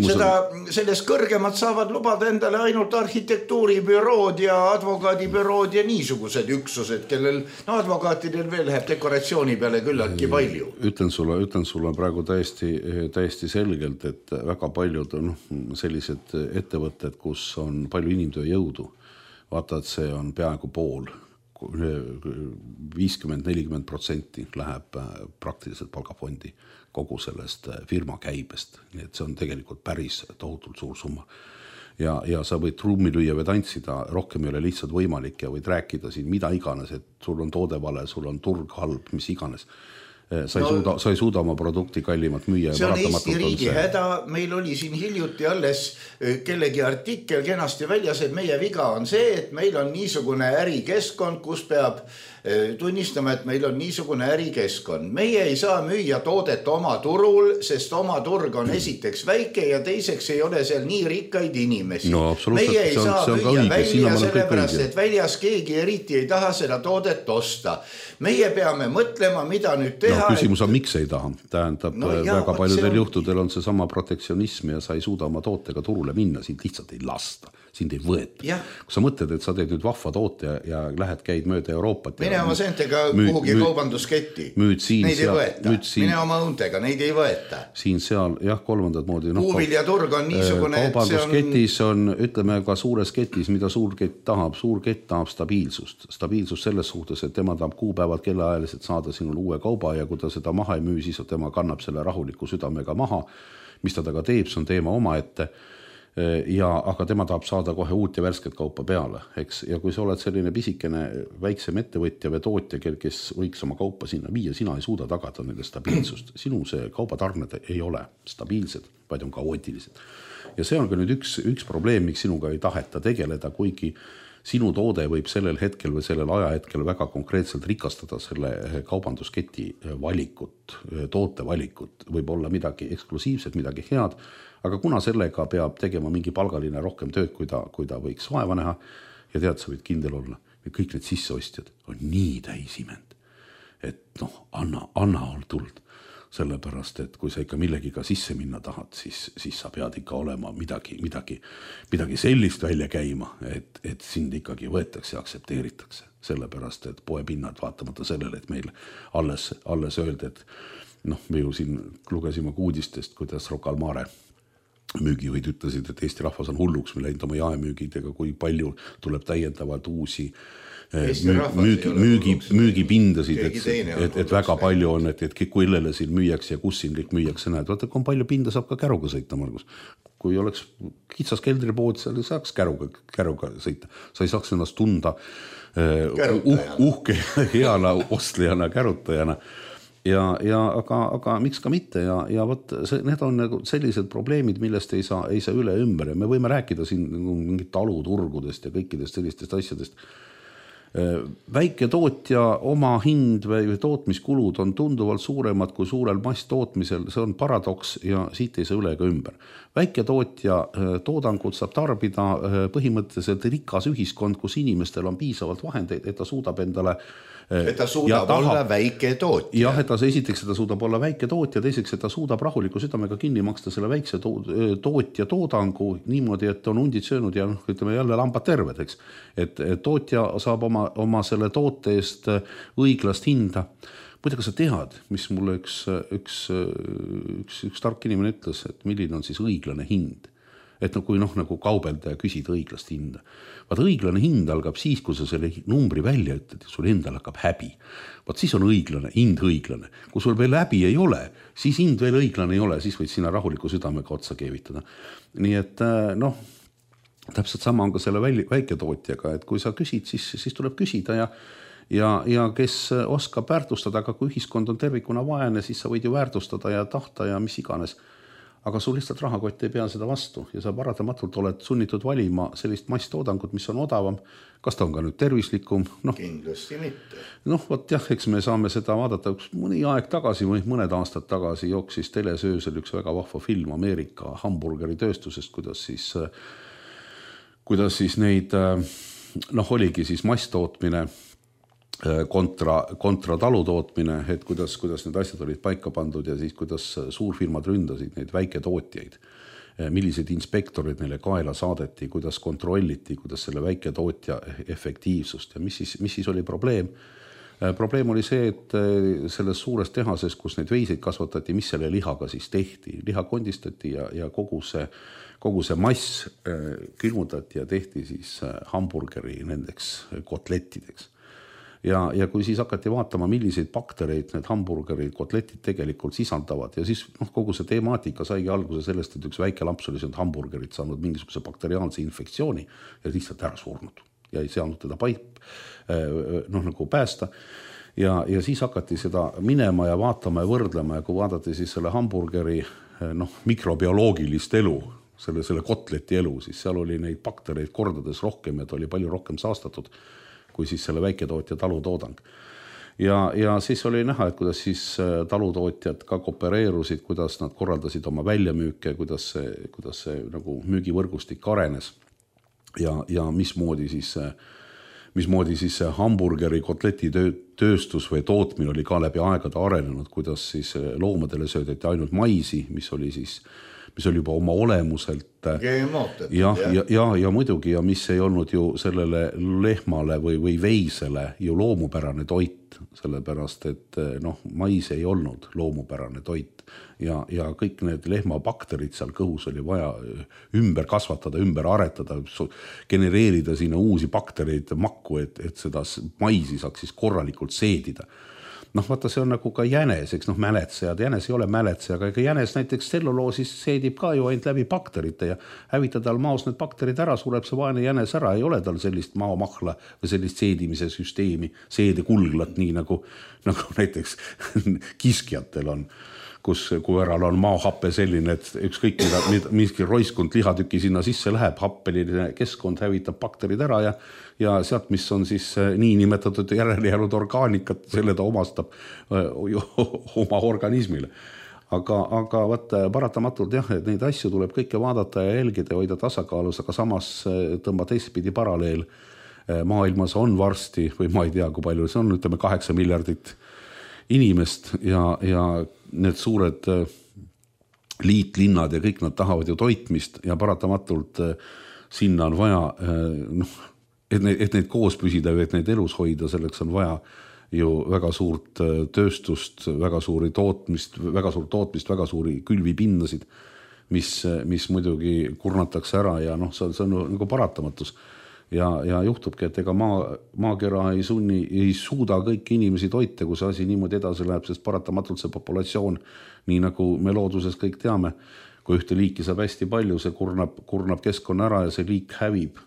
Seda, on... Sellest kõrgemad saavad lubada endale ainult arhitektuuribürood ja advokaadibürood ja niisugused üksused, kellel no, advokaatidel veel läheb dekoratsiooni peale küllaltki palju. Ütlen sulle, ütlen sulle praegu täiesti, täiesti selgelt, et väga paljud on sellised ettevõtted, kus on palju inimtöö jõudu. Vaata, et see on peaaegu pool, viiskümmend nelikümmend protsenti läheb praktiliselt palgafondi kogu sellest firma käibest. Nii et see on tegelikult päris tohutult suur summa. Ja, ja sa võid trummi lüüa või tantsida, rohkem ei ole lihtsalt võimalik ja võid rääkida siin mida iganes, et sul on toode vale, sul on turg halb, mis iganes. Sa ei, no, suuda, sa ei suuda oma produkti kallimat müüa. See on Eesti riigi häda, meil oli siin hiljuti alles kellegi artikkel kenasti väljas, et meie viga on see, et meil on niisugune ärikeskkond, kus peab tunnistama, et meil on niisugune ärikeskkond. Meie ei saa müüa toodet oma turul, sest oma turg on esiteks väike ja teiseks ei ole seal nii rikkaid inimesi. No, meie ei on, saa müüa õige. välja sellepärast, et väljas keegi eriti ei taha seda toodet osta. Meie peame mõtlema, mida nüüd teha. No, küsimus on, miks ei taha. Tähendab, no, jah, väga paljudel on... juhtudel on see sama protektsionism ja sa ei suuda oma tootega turule minna, sind lihtsalt ei lasta, sind ei võeta. Ja. Kui sa mõtled, et sa teed nüüd vahva toote ja, ja lähed, käid mööda Euroopat. Mine oma sentega kuhugi müü, kaubandusketti. Müüd siin, neid ei seal, võeta. Siin, mine oma õuntega, neid ei võeta. Siin seal, jah, kolmandat moodi. No, Kuuvilja turg on niisugune, et see on... Ketis on, ütleme ka suures ketis, mida suur kett tahab. Suur kett tahab stabiilsust. Stabiilsust selles suhtes, et tema tahab kuupäevad kellaajaliselt saada sinul uue kauba ja kui ta seda maha ei müü, siis tema kannab selle rahuliku südamega maha. Mis ta taga teeb, see on teema oma ette. Ja, aga tema tahab saada kohe uut ja värsket kaupa peale, eks? Ja kui sa oled selline pisikene väiksem ettevõtja või tootja, kes võiks oma kaupa sinna viia, sina ei suuda tagada nende stabiilsust. Sinu see kaubatarned ei ole stabiilsed, vaid on kaootilised. Ja see on ka nüüd üks, üks probleem, miks sinuga ei taheta tegeleda, kuigi sinu toode võib sellel hetkel või sellel ajahetkel väga konkreetselt rikastada selle kaubandusketi valikut, toote valikut, võib olla midagi eksklusiivset, midagi head, aga kuna sellega peab tegema mingi palgaline rohkem tööd, kui ta, kui ta võiks vaeva näha ja tead, sa võid kindel olla, kõik need sisseostjad on nii täisiment, et noh, anna, anna on tuld. Sellepärast, et kui sa ikka millegiga sisse minna tahad, siis, siis sa pead ikka olema midagi, midagi, midagi sellist välja käima, et, et sind ikkagi võetakse ja aksepteeritakse. Sellepärast, et poepinnad vaatamata sellele, et meil alles, alles öeldi, et noh, me ju siin lugesime uudistest, kuidas Rocca al Mare müügijuhid ütlesid, et Eesti rahvas on hulluks, me läinud oma jaemüügidega, kui palju tuleb täiendavalt uusi müügi, müügi, müügipindasid, et, et, et väga palju on, et, et kui illele siin müüjaks ja kus siin kõik müüjaks näed. Vaata, kui on palju pinda, saab ka käruga sõita, Margus. Kui oleks kitsas keldripood, seal saaks käruga, käruga sõita. Sa ei saaks ennast tunda uh, uhke heana ostlejana, kärutajana. Ja, ja aga, aga miks ka mitte ja, ja võt, see, need on nagu sellised probleemid, millest ei saa, ei saa üle ümber ja me võime rääkida siin mingit taluturgudest ja kõikidest sellistest asjadest. Väike tootja oma hind või tootmiskulud on tunduvalt suuremad kui suurel masstootmisel, see on paradoks ja siit ei saa üle ega ümber. Väike tootja toodangut saab tarbida põhimõtteliselt rikas ühiskond, kus inimestel on piisavalt vahendeid, et ta suudab endale et ta suudab taha, olla väike tootja. Jah, et ta esiteks, et ta suudab olla väike tootja, teiseks, et ta suudab rahuliku südamega kinni maksta selle väikse tootja toodangu niimoodi, et on hundid söönud ja ütleme jälle lambad terved, eks. Et tootja saab oma, oma selle toote eest õiglast hinda. Muide, kas sa tead, mis mulle üks, üks, üks, üks tark inimene ütles, et milline on siis õiglane hind? et no kui noh, nagu kaubelda ja küsida õiglast hinda. Vaat õiglane hind algab siis, kui sa selle numbri välja ütled ja sul endal hakkab häbi. Vaat siis on õiglane, hind õiglane. Kui sul veel häbi ei ole, siis hind veel õiglane ei ole, siis võid sinna rahuliku südamega otsa keevitada. Nii et noh, täpselt sama on ka selle väiketootjaga, et kui sa küsid, siis, siis tuleb küsida ja Ja, ja kes oskab väärtustada, aga kui ühiskond on tervikuna vaene, siis sa võid ju väärtustada ja tahta ja mis iganes. Aga sul lihtsalt rahakott ei pea seda vastu ja sa paratamatult oled sunnitud valima sellist masstoodangut, mis on odavam. Kas ta on ka nüüd tervislikum? No, kindlasti mitte. Noh, võt jah, eks me saame seda vaadata. Mõni aeg tagasi või mõned aastad tagasi jooksis telesöösel üks väga vahva film Ameerika hamburgeri tööstusest, kuidas siis, kuidas siis neid, noh, oligi siis masstootmine kontra, kontra talutootmine, et kuidas, kuidas need asjad olid paika pandud ja siis kuidas suurfirmad ründasid neid väiketootjaid, millised inspektorid neile kaela saadeti, kuidas kontrolliti, kuidas selle väiketootja efektiivsust ja mis siis, mis siis oli probleem. Probleem oli see, et selles suures tehases, kus neid veiseid kasvatati, mis selle lihaga siis tehti. Liha kondistati ja, ja kogu see, kogu see mass külmutati ja tehti siis hamburgeri nendeks kotlettideks. Ja, ja kui siis hakati vaatama, milliseid baktereid need hamburgerid, kotletid tegelikult sisaldavad ja siis noh, kogu see temaatika saigi alguse sellest, et üks väike lamps oli see hamburgerid saanud mingisuguse bakteriaalse infektsiooni ja lihtsalt ära surnud ja ei saanud teda paip, noh, nagu päästa. Ja, ja siis hakati seda minema ja vaatama ja võrdlema ja kui vaadati siis selle hamburgeri noh, mikrobioloogilist elu, selle, selle kotleti elu, siis seal oli neid baktereid kordades rohkem ja ta oli palju rohkem saastatud kui siis selle väiketootja talutoodang. Ja, ja siis oli näha, et kuidas siis talutootjad ka koopereerusid, kuidas nad korraldasid oma väljamüüke, kuidas see, kuidas see nagu müügivõrgustik arenes ja, ja mismoodi siis, mismoodi siis hamburgeri kotleti tööstus või tootmine oli ka läbi aegade arenenud, kuidas siis loomadele söödeti ainult maisi, mis oli siis mis oli juba oma olemuselt ja, ja, ja, ja muidugi ja mis ei olnud ju sellele lehmale või, või veisele ju loomupärane toit, sellepärast et noh, mais ei olnud loomupärane toit ja, ja kõik need lehmabakterid seal kõhus oli vaja ümber kasvatada, ümber aretada, genereerida sinna uusi baktereid makku, et, et seda maisi saaks siis korralikult seedida. Noh, vaata, see on nagu ka jänes, eks noh, mäletsejad, jänes ei ole mäletseja, aga jänes näiteks tselluloosis seedib ka ju ainult läbi bakterite ja hävita tal maos need bakterid ära, sureb see vaene jänes ära, ei ole tal sellist maomahla või sellist seedimise süsteemi, seede kulglat, nii nagu, nagu näiteks kiskjatel on, kus koeral on maohappe selline, et ükskõik mida, miski roiskund lihatüki sinna sisse läheb, happeline keskkond hävitab bakterid ära ja ja sealt, mis on siis nii nimetatud järele jäänud orgaanikat, selle ta omastab öö, oma organismile. Aga, aga vaat, paratamatult jah, et neid asju tuleb kõike vaadata ja jälgida ja hoida tasakaalus, aga samas tõmba teistpidi paralleel. Maailmas on varsti, või ma ei tea, kui palju see on, ütleme kaheksa miljardit inimest ja, ja need suured liitlinnad ja kõik nad tahavad ju toitmist ja paratamatult sinna on vaja noh, et neid, et neid koos püsida või et neid elus hoida, selleks on vaja ju väga suurt tööstust, väga suuri tootmist, väga suurt tootmist, väga suuri külvipindasid, mis, mis muidugi kurnatakse ära ja noh, see on, see on nagu paratamatus. Ja, ja juhtubki, et ega maa, maakera ei, sunni, ei suuda kõiki inimesi toita, kui see asi niimoodi edasi läheb, sest paratamatult see populatsioon, nii nagu me looduses kõik teame, kui ühte liiki saab hästi palju, see kurnab, kurnab keskkonna ära ja see liik hävib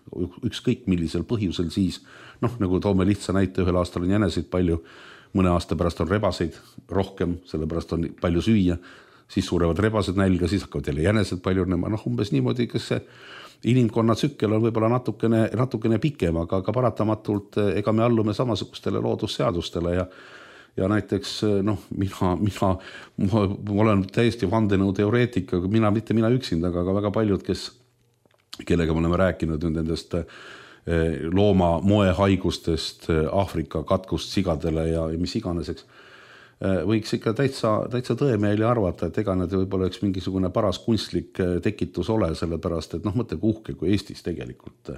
ükskõik millisel põhjusel siis. Noh, nagu toome lihtsa näite, ühel aastal on jänesid palju, mõne aasta pärast on rebaseid rohkem, sellepärast on palju süüa, siis surevad rebased nälga, siis hakkavad jälle jänesed palju nema, noh umbes niimoodi, kas see inimkonna tsükkel on võib-olla natukene, natukene pikem, aga, aga paratamatult ega me allume samasugustele loodusseadustele ja ja näiteks noh, mina, mina, ma, ma olen täiesti vandenõu teoreetika, mina, mitte mina üksinda, aga väga paljud, kes, kellega me oleme rääkinud nendest looma moehaigustest, Aafrika katkust sigadele ja mis iganeseks. võiks ikka täitsa, täitsa tõemeeli arvata, et ega need võib-olla üks mingisugune paras kunstlik tekitus ole, sellepärast, et noh, mõtle kuhke, kui Eestis tegelikult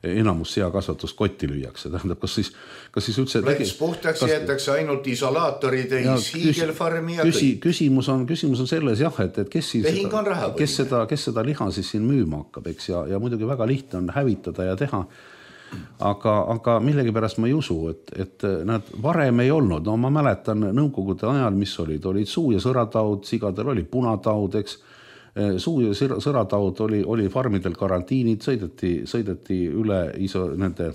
enamus seakasvatust kotti lüüakse. Tähendab, kas siis, kas siis üldse... Plats puhtaks kas... jäetakse ainult isolaatorid ja hiigelfarmi ja küsi, kõik. Küsimus on, küsimus on selles jah, et, et kes, siis seda, kes, seda, kes seda liha siis siin müüma hakkab, eks, ja, ja muidugi väga lihtne on hävitada ja teha. Aga, aga millegipärast ma ei usu, et, et nad varem ei olnud. No ma mäletan nõukogude ajal, mis olid, olid suu- ja sõrataud, sigadel oli punataud, eks. Suu- ja sõrataud oli, oli farmidel karantiinid, sõideti, sõideti üle iso, nende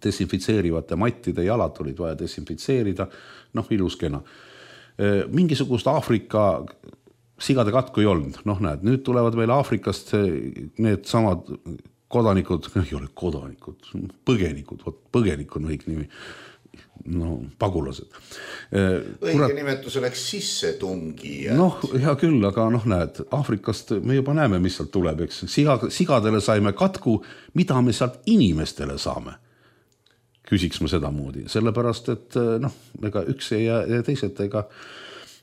desinfitseerivate mattide, jalad olid vaja desinfitseerida, noh, ilus kena. Mingisugust Aafrika sigade katku ei olnud, noh näed, nüüd tulevad meil Aafrikast need samad kodanikud, ei ole kodanikud, põgenikud, põgenik on õig nimi, no pagulased. Õige Kurat, nimetus oleks sissetungi. Noh, hea küll, aga noh näed, Aafrikast me juba näeme, mis sealt tuleb, eks. Siga, sigadele saime katku, mida me sealt inimestele saame. Küsiks ma seda moodi, sellepärast, et noh, ega üks ei jää teised ega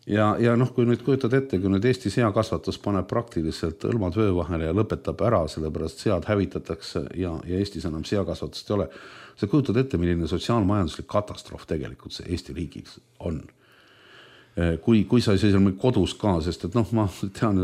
Ja, ja noh, kui nüüd kujutad ette, kui nüüd Eesti seakasvatus paneb praktiliselt õlmad vöö vahele ja lõpetab ära, sellepärast sead hävitatakse ja, ja Eestis enam seakasvatust ei ole. Sa kujutad ette, milline sotsiaalmajanduslik katastroof tegelikult see Eesti riigis on. Kui, kui sa ei saa seal kodus ka, sest et noh, ma tean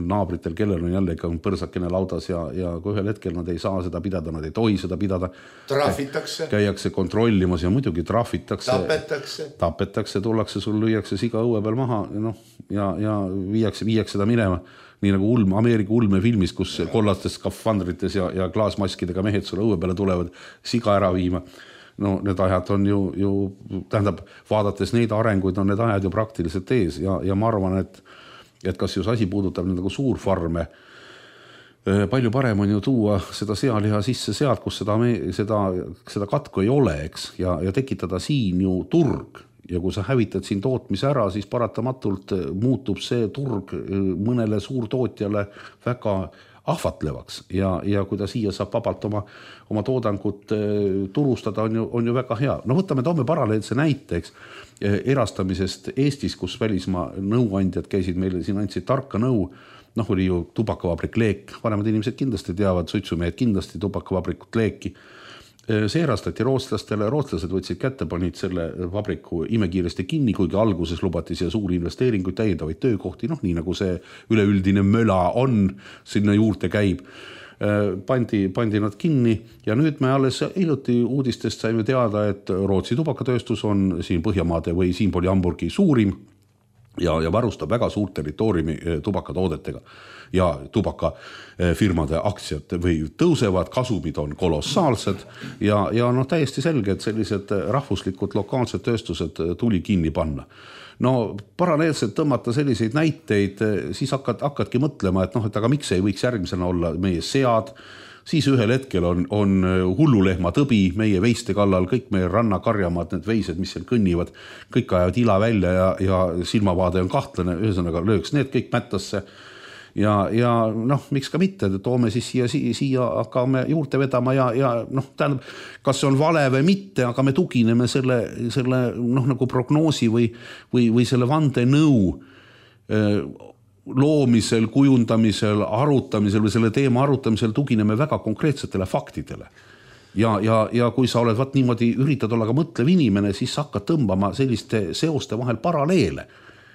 naabritel, kellel on jälle ikka põrsakene laudas ja, ja kui ühel hetkel nad ei saa seda pidada, nad ei tohi seda pidada. Trahvitakse. Käiakse kontrollimas ja muidugi trahvitakse. Tapetakse. Tapetakse, tullakse, sul lüüakse siga õue peal maha no, ja, ja viiakse, viiakse seda minema. Nii nagu ulme, Ameerika ulme filmis, kus kollastes skafandrites ja, ja klaasmaskidega mehed sulle õue peale tulevad siga ära viima. No need ajad on ju, ju, tähendab, vaadates neid arenguid on need ajad ju praktiliselt ees ja, ja ma arvan, et, et kas just asi puudutab nagu suurfarme, palju parem on ju tuua seda sealiha sisse sealt, kus seda, seda, seda katku ei ole, eks, ja, ja tekitada siin ju turg. Ja kui sa hävitad siin tootmise ära, siis paratamatult muutub see turg mõnele suurtootjale väga ahvatlevaks ja, ja kui ta siia saab vabalt oma, oma toodangut turustada, on ju, on ju väga hea. No võtame, toome paralleelse näiteks erastamisest Eestis, kus välismaa nõuandjad käisid meile, siin andsid tarka nõu, noh oli ju tubakavabrik Leek, vanemad inimesed kindlasti teavad, suitsumehed kindlasti tubakavabrikut Leeki. See erastati rootslastele, rootslased võtsid kätte, panid selle vabriku imekiiresti kinni, kuigi alguses lubati siia suuri investeeringuid, täiendavaid töökohti, noh nii nagu see üleüldine möla on, sinna juurde käib. Pandi, pandi nad kinni ja nüüd me alles hiljuti uudistest saime teada, et Rootsi tubakatööstus on siin Põhjamaade või siinpool Hamburgi suurim ja, ja varustab väga suurt territooriumi tubakatoodetega ja tubakafirmade aktsiad või tõusevad, kasumid on kolossaalsed ja, ja noh, täiesti selge, et sellised rahvuslikud lokaalsed tööstused tuli kinni panna. No paralleelselt tõmmata selliseid näiteid, siis hakkad, hakkadki mõtlema, et noh, et aga miks ei võiks järgmisena olla meie sead, siis ühel hetkel on, on hullulehma tõbi meie veiste kallal, kõik meie rannakarjamaad, need veised, mis seal kõnnivad, kõik ajavad ila välja ja, ja silmavaade on kahtlane, ühesõnaga lööks need kõik mättasse. Ja, ja noh, miks ka mitte, toome siis siia, siia hakkame juurde vedama ja, ja noh, tähendab, kas see on vale või mitte, aga me tugineme selle, selle noh, nagu prognoosi või, või, või selle vande nõu loomisel, kujundamisel, arutamisel või selle teema arutamisel tugineme väga konkreetsetele faktidele. Ja, ja, ja kui sa oled vaat niimoodi, üritad olla ka mõtlev inimene, siis sa hakkad tõmbama selliste seoste vahel paralleele.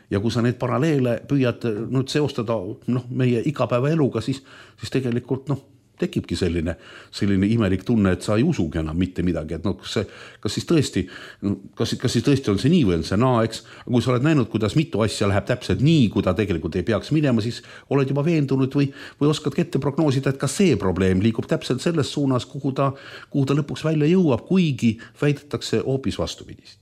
Ja kui sa neid paralleele püüad nüüd seostada noh, meie igapäeva eluga, siis, siis tegelikult noh, tekibki selline, selline imelik tunne, et sa ei usugi enam mitte midagi. Et no, kas, see, kas, siis tõesti, kas, kas siis tõesti on see nii või on see naa, eks? Kui sa oled näinud, kuidas mitu asja läheb täpselt nii, kui ta tegelikult ei peaks minema, siis oled juba veendunud või, või oskad ette prognoosida, et ka see probleem liigub täpselt selles suunas, kuhu ta, kuhu ta lõpuks välja jõuab, kuigi väidetakse hoopis vastupidist.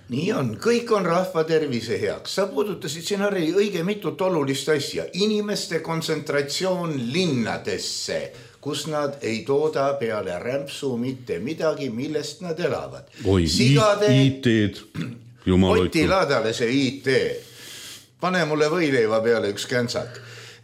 Nii on, kõik on rahva tervise heaks. Sa puudutasid siin Harri õige mitut olulist asja. Inimeste kontsentratsioon linnadesse, kus nad ei tooda peale rämpsu mitte midagi, millest nad elavad. Oi, Sigade... I T-d. Oti laadale see I T. Pane mulle võileiva peale üks käntsak.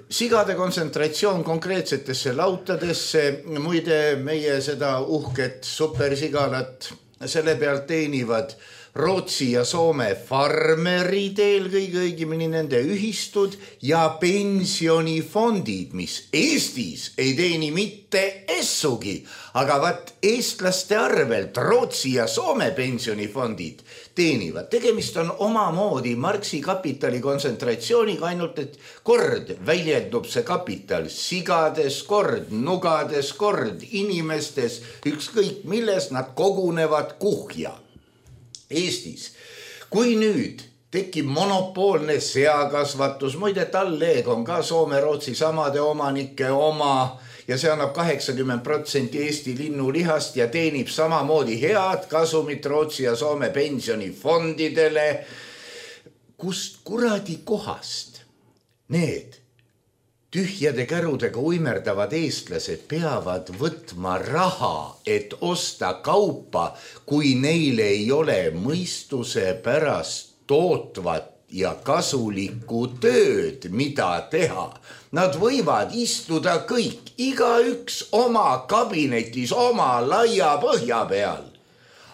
Sigade kontsentratsioon konkreetsetesse lautadesse, muide meie seda uhket supersigalat selle pealt teenivad Rootsi ja Soome farmerid, eelkõige õigemini nende ühistud ja pensionifondid, mis Eestis ei teeni mitte essugi, aga vat eestlaste arvelt Rootsi ja Soome pensionifondid teenivad. Tegemist on omamoodi Marxi kapitali kontsentratsiooniga, ainult et kord väljendub see kapital sigades, kord nugades, kord inimestes, ükskõik milles nad kogunevad kuhja. Eestis, kui nüüd tekib monopoolne seakasvatus, muide talleeg on ka Soome-Rootsi samade omanike oma ja see annab kaheksakümmend protsenti Eesti linnulihast ja teenib samamoodi head kasumit Rootsi ja Soome pensionifondidele. Kust kuradi kohast need tühjade kärudega uimerdavad eestlased peavad võtma raha, et osta kaupa, kui neile ei ole mõistuse pärast tootvat ja kasulikku tööd, mida teha. Nad võivad istuda kõik, igaüks oma kabinetis, oma laia põhja peal.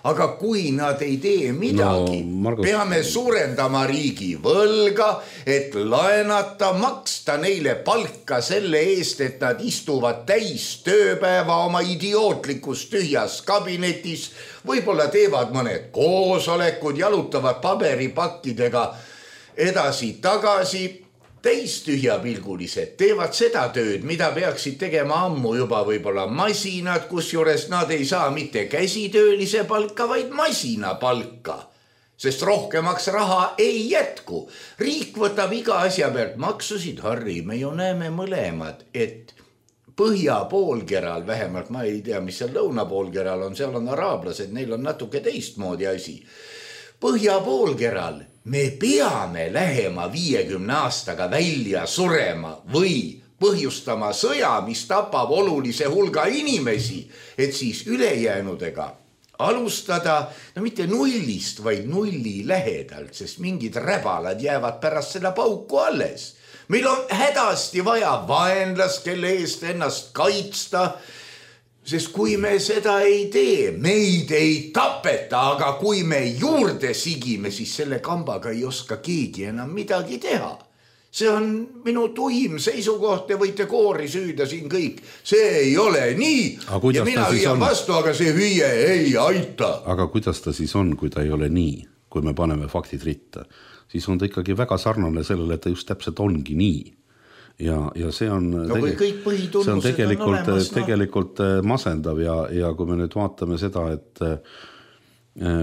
Aga kui nad ei tee midagi, no, Margus... peame suurendama riigi võlga, et laenata, maksta neile palka selle eest, et nad istuvad täis tööpäeva oma idiootlikus tühjas kabinetis, võib-olla teevad mõned koosolekud, jalutavad paberipakkidega edasi-tagasi. Täistühjapilgulised teevad seda tööd, mida peaksid tegema ammu juba võib-olla masinad, kusjuures nad ei saa mitte käsitöölise palka, vaid masina palka. Sest rohkemaks raha ei jätku. Riik võtab iga asja pealt maksusid, Harri, me ju näeme mõlemad, et põhja poolkeral, vähemalt ma ei tea, mis seal lõuna poolkeral on, seal on araablased, neil on natuke teistmoodi asi. Põhja poolkeral me peame lähema viiekümne aastaga välja surema või põhjustama sõja, mis tapab olulise hulga inimesi, et siis ülejäänudega alustada, no mitte nullist, vaid nulli lähedalt, sest mingid räbalad jäävad pärast seda pauku alles. Meil on hädasti vaja vaenlast, kelle eest ennast kaitsta, sest kui me seda ei tee, meid ei tapeta, aga kui me juurde sigime, siis selle kambaga ei oska keegi enam midagi teha. See on minu tuim seisukoht, te võite koori süüda siin kõik. See ei ole nii ja mina hüüan vastu, aga see hüüe ei aita. Aga kuidas ta siis on, kui ta ei ole nii, kui me paneme faktid ritta? Siis on ta ikkagi väga sarnane sellele, et ta just täpselt ongi nii. Ja, ja see on, no, tege... see on tegelikult, on olemas, no. tegelikult masendav ja, ja kui me nüüd vaatame seda, et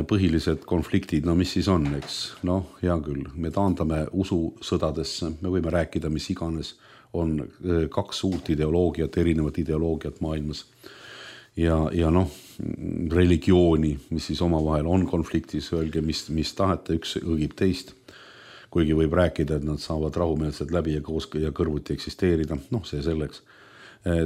põhilised konfliktid, no mis siis on, eks? No hea küll, me taandame usu sõdadesse, me võime rääkida, mis iganes, on kaks suurt ideoloogiat, erinevat ideoloogiat maailmas. Ja, ja noh, religiooni, mis siis omavahel on konfliktis, öelge, mis, mis tahete, üks õgib teist. Kuigi võib rääkida, et nad saavad rahumeelselt läbi ja, koos, ja kõrvuti eksisteerida, noh see selleks.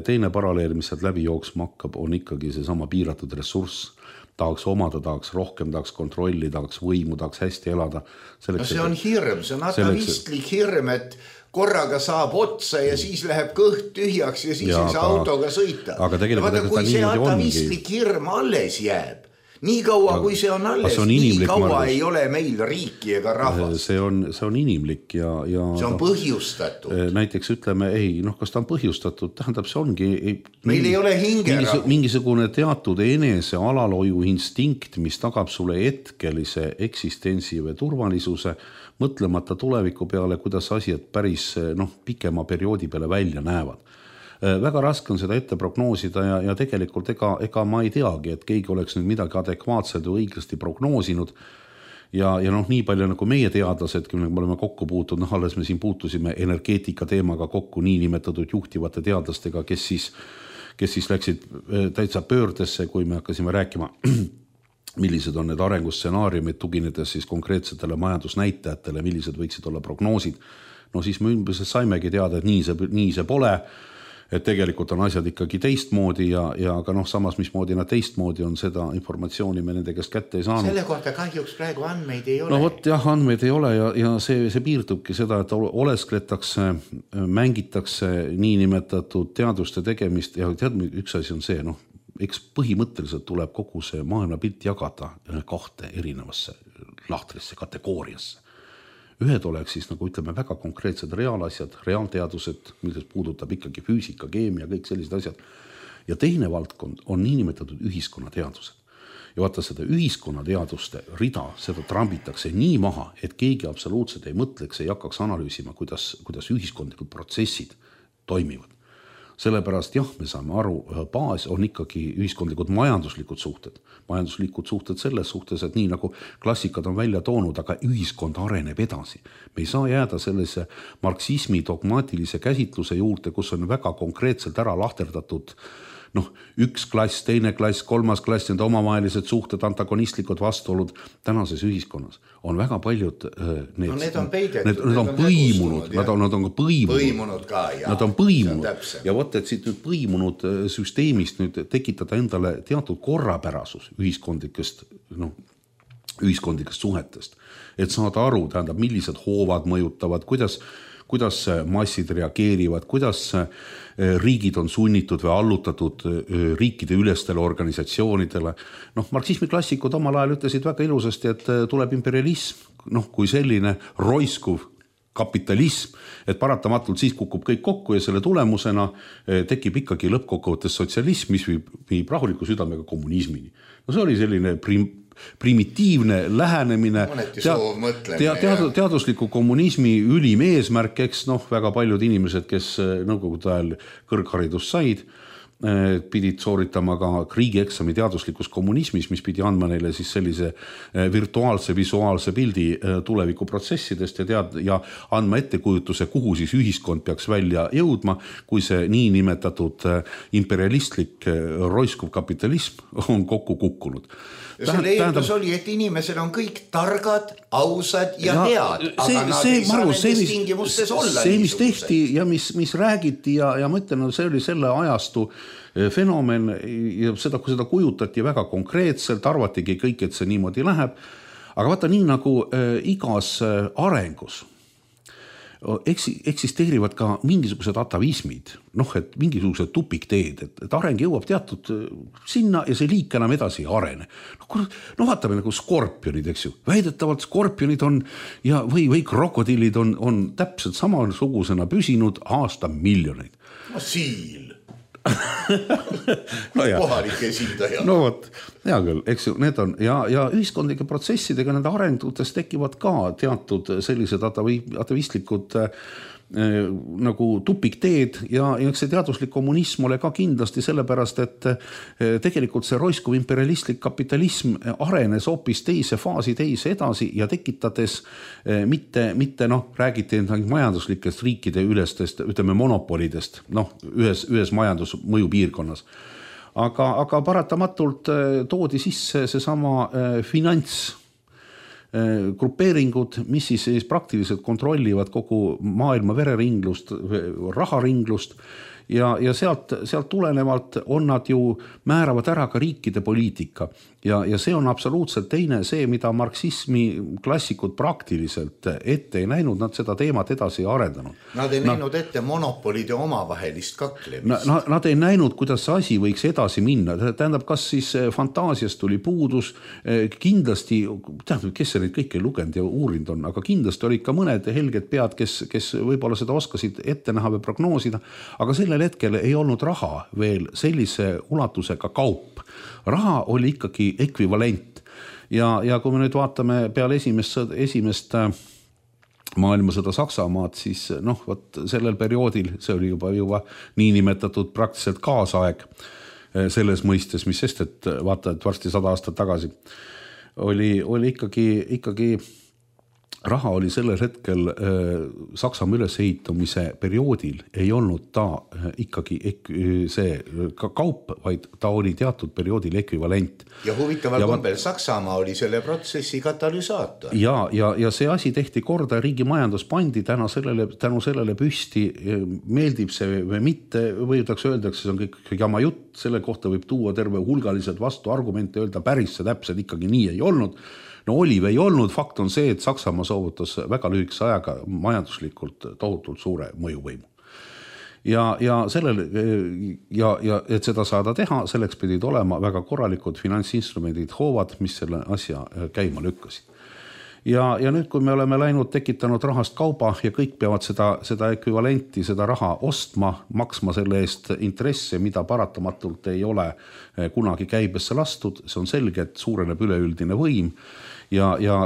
Teine paralleel, mis sealt läbi jooksma hakkab, on ikkagi see sama piiratud ressurss. Tahaks omada, tahaks rohkem, tahaks kontrolli, tahaks võimu, tahaks hästi elada. Selleks, no see on hirm, see on atavistlik hirm, et korraga saab otsa ja siis läheb kõht tühjaks ja siis ja, ei saa aga, autoga sõita. Aga tegelikult vaata, kui see atavistlik hirm alles jääb, nii kaua, kui see on alles, on nii kaua Margus. Ei ole meil riiki ega rahvast. See on, see on inimlik ja, ja see on põhjustatud. Näiteks ütleme, ei, noh, kas ta on põhjustatud, tähendab, see ongi ei, meil ei ole hingerahu. Mingisugune teatud enese alaloju instinkt, mis tagab sulle hetkelise eksistentsi või turvalisuse, mõtlemata tuleviku peale, kuidas asjad päris noh, pikema perioodi peale välja näevad. Väga raske on seda ette prognoosida ja, ja tegelikult ega, ega ma ei teagi, et keegi oleks nüüd midagi adekvaatselt või õiglasti prognoosinud ja, ja noh, nii palju nagu meie teadlased, kui me oleme kokku puutud, noh, alles me siin puutusime energeetika teemaga kokku nii nimetatud juhtivate teadlastega, kes siis, kes siis läksid täitsa pöördesse, kui me hakkasime rääkima, millised on need arengustsenaariumid, tuginedes siis konkreetsetele majandusnäitajatele, millised võiksid olla prognoosid. No siis me ümbriselt saimegi teada, et nii see, nii see pole, et tegelikult on asjad ikkagi teistmoodi ja, ja aga noh, samas mismoodi nad teistmoodi on, seda informatsiooni me nende käest kätte ei saanud. Selle kohta kahjuks praegu andmeid ei ole. No võt, jah, andmeid ei ole ja, ja see, see piirdubki seda, et oleskletakse, mängitakse nii nimetatud teaduste tegemist ja tead, üks asi on see, noh, eks põhimõtteliselt tuleb kogu see maailmapilt jagada kahte erinevasse lahtrisse, kategooriasse. Ühed oleks siis nagu ütleme väga konkreetsed reaalasjad, reaalteadused, milles puudutab ikkagi füüsika, keemia, kõik sellised asjad. Ja teine valdkond on niinimetatud ühiskonnateadused. Ja vaata seda ühiskonnateaduste rida, seda trambitakse nii maha, et keegi absoluutselt ei mõtleks, ei hakkaks analüüsima, kuidas, kuidas ühiskondlikud protsessid toimivad. Sellepärast jah, me saame aru, baas on ikkagi ühiskondlikud majanduslikud suhted. Majanduslikud suhted selles suhtes, et nii nagu klassikad on välja toonud, aga ühiskond areneb edasi. Me ei saa jääda sellise marksismi dogmaatilise käsitluse juurde, kus on väga konkreetselt ära lahterdatud noh, üks klass, teine klass, kolmas klass, need omavahelised suhted, antagonistlikud vastuolud tänases ühiskonnas. On väga paljud need, no, need on peidetud, need, need on põimunud, nad on, nad on ka põimunud. Põimunud ka, jah. Nad on põimunud. Ja võtta, et siit nüüd põimunud süsteemist nüüd tekitada endale teatud korrapärasus ühiskondlikest, noh, ühiskondlikest suhetest. Et saada aru, tähendab, millised hoovad mõjutavad, kuidas kuidas massid reageerivad, kuidas riigid on sunnitud või allutatud riikide ülestele organisatsioonidele. Noh, marksismi klassikud omal ajal ütlesid väga ilusasti, et tuleb imperialism, noh, kui selline roiskuv kapitalism, et paratamatult siis kukub kõik kokku ja selle tulemusena tekib ikkagi lõppkokkuvõttes sotsialism, mis viib, viib rahuliku südamega kommunismini. No see oli selline prim primitiivne lähenemine tead, tead, teadusliku kommunismi ülim eesmärk, eks noh, väga paljud inimesed, kes nõukogude ajal kõrgharidust said, pidid sooritama ka riigieksami teaduslikus kommunismis, mis pidi andma neile siis sellise virtuaalse, visuaalse pildi tulevikuprotsessidest ja, tead, ja andma ettekujutuse, kuhu siis ühiskond peaks välja jõudma, kui see nii nimetatud imperialistlik roiskuv kapitalism on kokku kukkunud. Ja selle eeldus oli, et inimesed on kõik targad, ausad ja, ja head, aga see, nad see, ei saa Margus, nendes see, tingimustes olla. See, mis tehti ja mis, mis räägiti ja, ja ma ütlen, see oli selle ajastu fenomen ja seda, kui seda kujutati väga konkreetselt, arvatigi kõik, et see niimoodi läheb. Aga vaata nii nagu äh, igas äh, arengus eksisteerivad ka mingisugused atavismid, noh, et mingisugused tupikteed, et, et areng jõuab teatud sinna ja see liik enam edasi ei arene. No, no vaatame nagu skorpionid, eks ju. Väidetavalt skorpionid on ja, või, või krokodillid on, on täpselt samasugusena püsinud aasta miljoneid. No siil. no kohalik esindaja. No vot, hea küll, eks ju, need on ja, ja ühiskondlike protsessidega nende arengutes tekivad ka teatud sellised atavistlikud äh, nagu tupikteed ja, ja see teaduslik kommunism ole ka kindlasti sellepärast, et äh, tegelikult see roiskuv imperialistlik kapitalism arenes hoopis teise faasi teise edasi ja tekitades äh, mitte, mitte noh, räägiti majanduslikest riikide ülestest, ütleme monopolidest, noh, ühes, ühes majandusmõju piirkonnas. Aga, aga paratamatult toodi sisse see sama finants grupeeringud, mis siis, siis praktiliselt kontrollivad kogu maailma vereringlust, raharinglust ja, ja sealt, sealt tulenevalt on nad ju määravad ära ka riikide poliitika ja, ja see on absoluutselt teine see, mida marksismi klassikud praktiliselt ette ei näinud, nad seda teemat edasi ei arendanud. Nad ei näinud ette monopolide omavahelist kaklemist. Na, nad ei näinud, kuidas see asi võiks edasi minna. Tähendab, kas siis fantaasiast tuli puudus, kindlasti, tähendab, kes see neid kõik ei lugenud ja uurinud on, aga kindlasti olid ka mõned helged pead, kes, kes võib-olla seda oskasid ette näha või prognoosida, aga sellel hetkel ei olnud raha veel sellise ulatusega kaup. Raha oli ikkagi ekvivalent ja, ja kui me nüüd vaatame peale esimest, esimest maailmasõda Saksamaad, siis noh, võt sellel perioodil, see oli juba, juba nii nimetatud praktiliselt kaasaeg selles mõistes, mis sest, et vaata, et varsti sada aastat tagasi oli, oli ikkagi, ikkagi raha oli sellel hetkel äh, Saksamaa ülesehitumise perioodil ei olnud ta äh, ikkagi ek, see ka kaup, vaid ta oli teatud perioodil ekvivalent. Ja huvitaval kombel Saksamaa oli selle protsessi katalüsaator. Ja, ja, ja see asi tehti korda, riigi majandus pandi tänu sellele, tänu sellele püsti, meeldib see või mitte, võidaks öeldakse, see on kõik jama jutt, selle kohta võib tuua terve hulgalised vastu argumente, öelda päris see täpselt ikkagi nii ei olnud. No oli või ei olnud, fakt on see, et Saksamaa soovutas väga lühikese ajaga majanduslikult tohutult suure mõjuvõimu. Ja, ja, sellel, ja, ja et seda saada teha, selleks pidid olema väga korralikud finantsinstrumendid hoovad, mis selle asja käima lükkasid. Ja, ja nüüd, kui me oleme läinud, tekitanud rahast kauba ja kõik peavad seda, seda ekvivalenti, seda raha ostma, maksma selle eest intresse, mida paratamatult ei ole kunagi käibesse lastud, see on selge, et suureneb üleüldine võim ja, ja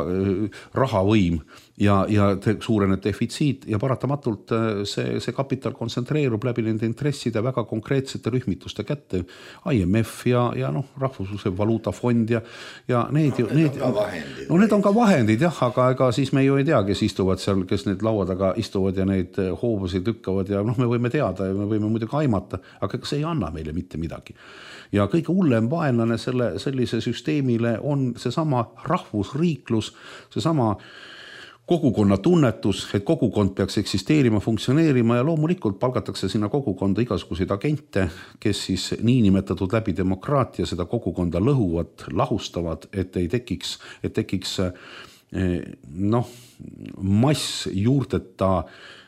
rahavõim ja, ja suureneb defitsiit ja paratamatult see, see kapital kontsentreerub läbi nende intresside väga konkreetsete rühmituste kätte. I M F ja, ja noh, Rahvusvahelise Valuutafond ja, ja need, no, need, need, on vahendid, no, need on ka vahendid jah, aga ega siis me ju ei tea, kes istuvad seal, kes need laua taga istuvad ja neid hoobusid lükkavad ja noh, me võime teada ja me võime muidugi aimata, aga see ei anna meile mitte midagi. Ja kõige hullem vaenlane selle, sellise süsteemile on seesama rahvusriiklus, seesama kogukonna tunnetus, et kogukond peaks eksisteerima, funktsioneerima ja loomulikult palgatakse sinna kogukonda igasuguseid agente, kes siis niinimetatud läbi demokraatia seda kogukonda lõhuvad, lahustavad, et ei tekiks, et tekiks noh, mass juurteta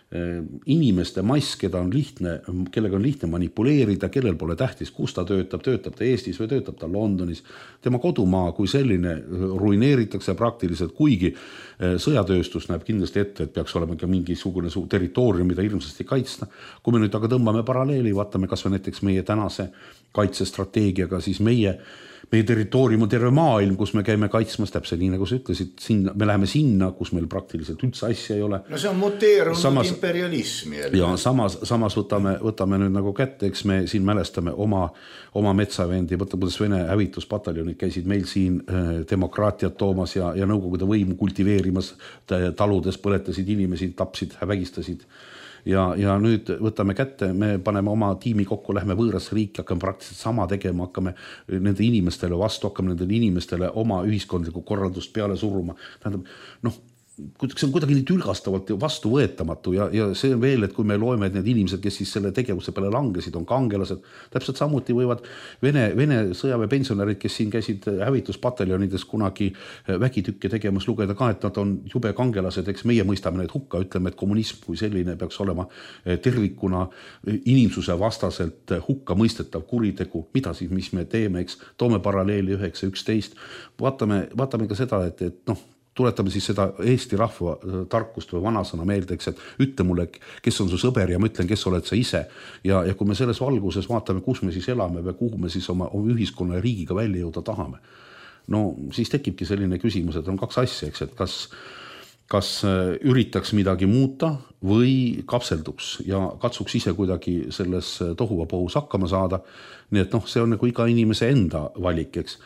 inimeste mass, keda on lihtne, kellega on lihtne manipuleerida, kellel pole tähtis, kus ta töötab, töötab ta Eestis või töötab ta Londonis. Tema kodumaa kui selline ruineeritakse praktiliselt, kuigi sõjatööstus näeb kindlasti ette, et peaks olema ka mingisugune territoorium, mida ilmsesti kaitsta. Kui me nüüd aga tõmbame paralleeli, vaatame kas või näiteks meie tänase kaitsestrateegiaga, siis meie meie territoorium on terve maailm, kus me käime kaitsmas täpselt nii, nagu sa ütlesid, sinna, me läheme sinna, kus meil praktiliselt üldse asja ei ole. No see on muteerunud samas, imperialism. Jälle. Ja samas, samas võtame, võtame nüüd nagu kätte, eks me siin mälestame oma, oma metsavendi, võtta, kuidas Vene hävituspataljonid käisid meil siin äh, demokraatiat toomas ja, ja nõukogude võimu kultiveerimas, taludes põletasid inimesi, tapsid, vägistasid. Ja, ja nüüd võtame kätte, me paneme oma tiimi kokku, lähme võõrasse riiki, hakkame praktiliselt sama tegema, hakkame nende inimestele vastu, hakkame nendele inimestele oma ühiskondlikku korraldust peale suruma. Tähendab, noh, see on kuidagi nii tülgastavalt vastu võetamatu ja, ja see on veel, et kui me loeme, et need inimesed, kes siis selle tegevuse peale langesid, on kangelased, täpselt samuti võivad Vene, Vene sõjaväepensionärid, kes siin käisid hävituspataljonides kunagi vägitükke tegemas, lugeda ka, et nad on jube kangelased, eks meie mõistame need hukka, ütleme, et kommunism kui selline peaks olema tervikuna inimsuse vastaselt hukka mõistetav kuritegu, mida siis, mis me teeme, eks, toome paralleeli üheksa üksteist, vaatame, vaatame ka seda, et, et noh, tuletame siis seda Eesti rahva tarkust või vanasõna meeldeks, et ütle mulle, kes on su sõber ja ma ütlen, kes oled sa ise. Ja, ja kui me selles valguses vaatame, kus me siis elame või kuhu me siis oma, oma ühiskonna ja riigiga välja jõuda tahame, no siis tekibki selline küsimus, et on kaks asja, eks, et kas kas üritaks midagi muuta või kapselduks ja katsuks ise kuidagi selles tohuvapohus hakkama saada. Nii et noh, see on nagu iga inimese enda valik, eks.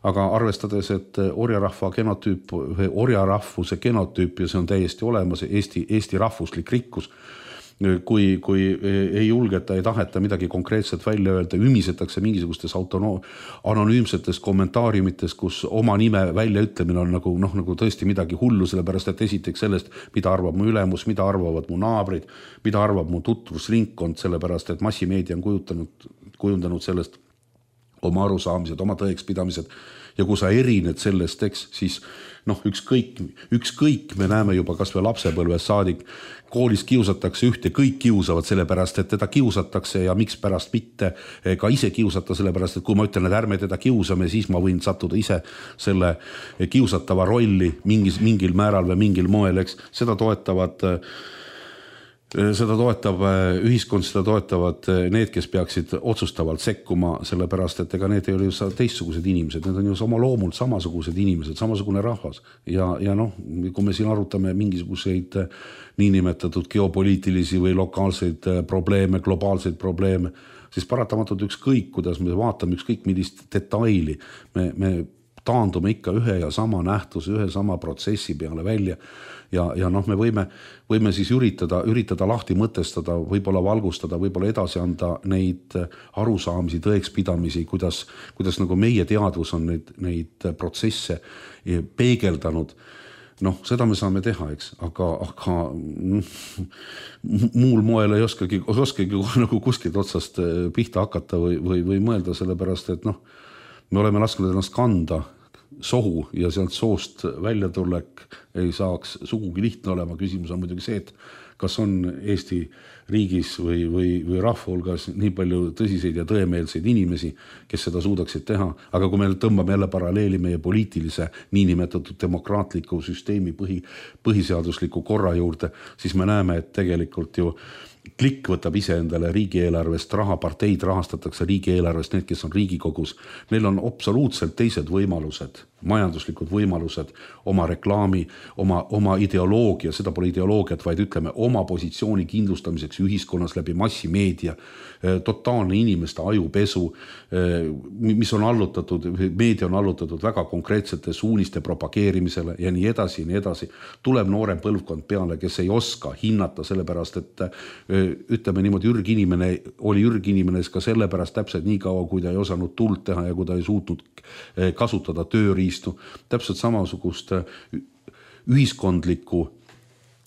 Aga arvestades, et orjarahva genotüüp või orjarahvuse genotüüp ja see on täiesti olemas, Eesti, Eesti rahvuslik rikkus, kui, kui ei julgeta, ei taheta midagi konkreetselt välja öelda, ümisetakse mingisugustes autono- anonüümsetes kommentaariumites, kus oma nime välja ütlemine on nagu, noh, nagu tõesti midagi hullu, sellepärast et esiteks sellest, mida arvab mu ülemus, mida arvavad mu naabrid, mida arvab mu tutvusringkond, sellepärast et massimeedia on kujutanud, kujundanud sellest oma arusaamised, oma tõekspidamised ja kui sa erined sellest, eks, siis noh, ükskõik, ükskõik me näeme juba kas või lapsepõlves saadik, koolis kiusatakse ühte, kõik kiusavad sellepärast, et teda kiusatakse ja miks pärast mitte ka ise kiusata, sellepärast, et kui ma ütlen, et ärme teda kiusame, siis ma võin sattuda ise selle kiusatava rolli mingis, mingil määral või mingil moel, eks, seda toetavad Seda toetab ühiskond, seda toetavad need, kes peaksid otsustavalt sekkuma, sellepärast, et ega need ei ole ju teistsugused inimesed, need on ju oma loomult samasugused inimesed, samasugune rahvas. Ja, ja noh, kui me siin arutame mingisuguseid niinimetatud geopoliitilisi või lokaalseid probleeme, globaalseid probleeme, siis paratamatult ükskõik, kuidas me vaatame ükskõik millist detaili, me, me taandume ikka ühe ja sama nähtuse, ühe sama protsessi peale välja. Ja, ja noh, me võime, võime siis üritada, üritada lahti mõtestada, võib-olla valgustada, võib-olla edasi anda neid arusaamisi, tõekspidamisi, kuidas, kuidas nagu meie teadvus on neid, neid protsesse peegeldanud. Noh, seda me saame teha, eks, aga, aga muul moel ei oskagi, oskagi nagu kuskilt otsast pihta hakata või, või, või mõelda, sellepärast, et noh, me oleme lasknud ennast kanda sohu ja sealt soost välja tulek ei saaks sugugi lihtne olema. Küsimus on muidugi see, et kas on Eesti riigis või, või, või rahva hulgas nii palju tõsiseid ja tõemeelseid inimesi, kes seda suudaksid teha. Aga kui me tõmbame jälle paralleeli meie poliitilise niinimetatud demokraatliku süsteemi põhi, põhiseadusliku korra juurde, siis me näeme, et tegelikult ju klikk võtab ise endale riigieelarvest raha, parteid rahastatakse riigieelarvest, need, kes on Riigikogus. Neil on absoluutselt teised võimalused, majanduslikud võimalused, oma reklaami, oma, oma ideoloogia, seda pole ideoloogiat, vaid ütleme oma positsiooni kindlustamiseks ühiskonnas läbi massimeedia, totaalne inimeste ajupesu, mis on allutatud, meedia on allutatud väga konkreetsete suuniste propageerimisele ja nii edasi ja nii edasi. Tuleb noorem põlvkond peale, kes ei oska hinnata sellepärast, et ütleme niimoodi, Jürg inimene oli Jürg inimene ka sellepärast täpselt nii kaua, kui ta ei osanud tuld teha ja kui ta ei suutnud kasutada tööriistu. Täpselt samasugust ühiskondlikku,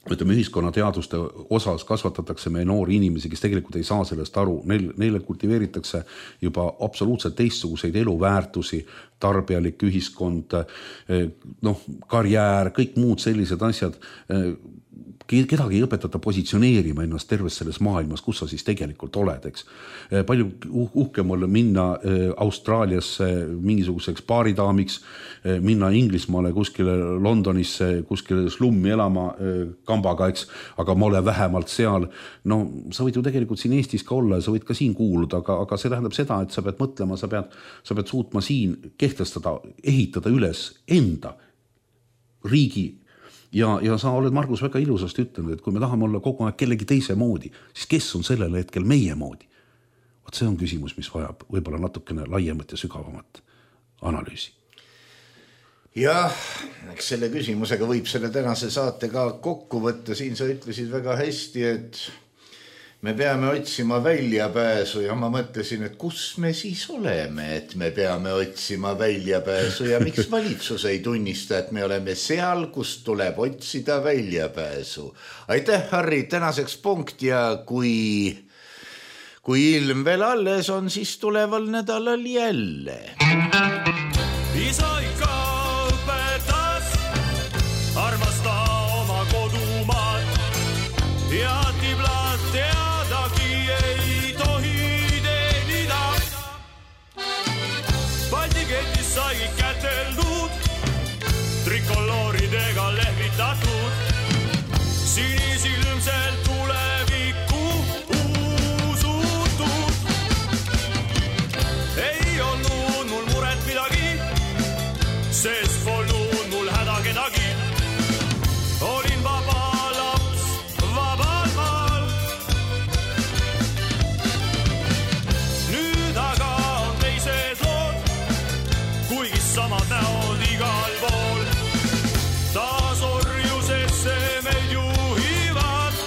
ütleme, ühiskonnateaduste osas kasvatatakse meie noori inimesi, kes tegelikult ei saa sellest aru. Neil, neile kultiveeritakse juba absoluutselt teistsuguseid eluväärtusi, tarbijalik ühiskond, noh, karjäär, kõik muud sellised asjad. Kedagi ei õpetata positsioneerima ennast terves selles maailmas, kus sa siis tegelikult oled, eks. Palju uhkem olla minna Austraaliasse mingisuguseks baaridaamiks, minna Inglismaale kuskile Londonisse, kuskile slummi elama kambaga, eks, aga ma olen vähemalt seal. No sa võid ju tegelikult siin Eestis ka olla ja sa võid ka siin kuuluda, aga, aga see tähendab seda, et sa pead mõtlema, sa pead, sa pead suutma siin kehtestada, ehitada üles enda riigi. Ja, ja sa oled, Margus, väga ilusasti ütlenud, et kui me tahame olla kogu aeg kellegi teise moodi, siis kes on sellel hetkel meie moodi? Vaat see on küsimus, mis vajab võib-olla natukene laiemat ja sügavamat analüüsi. Jah, eks selle küsimusega võib selle tänase saate ka kokku võtta. Siin sa ütlesid väga hästi, et me peame otsima väljapääsu ja ma mõtlesin, et kus me siis oleme, et me peame otsima väljapääsu ja miks valitsus ei tunnista, et me oleme seal, kus tuleb otsida väljapääsu. Aitäh, Harri, tänaseks punkt ja kui, kui ilm veel alles on, siis tuleval nädalal jälle. Isa ikka õpetas, armasta oma kodumaad ja tiblat teadagi ei tohi teenida. Baltiketis sai käteldud, trikolooridega lehvitatud, sinisilmselt tulevikku usutud. Ei olnud mul muret midagi, sest polnud mul häda kedagi. Olin vaba laps vabal maal. Nüüd aga on teised lood, kuigi samad näod igal pool. Taas orjusesse meid juhivad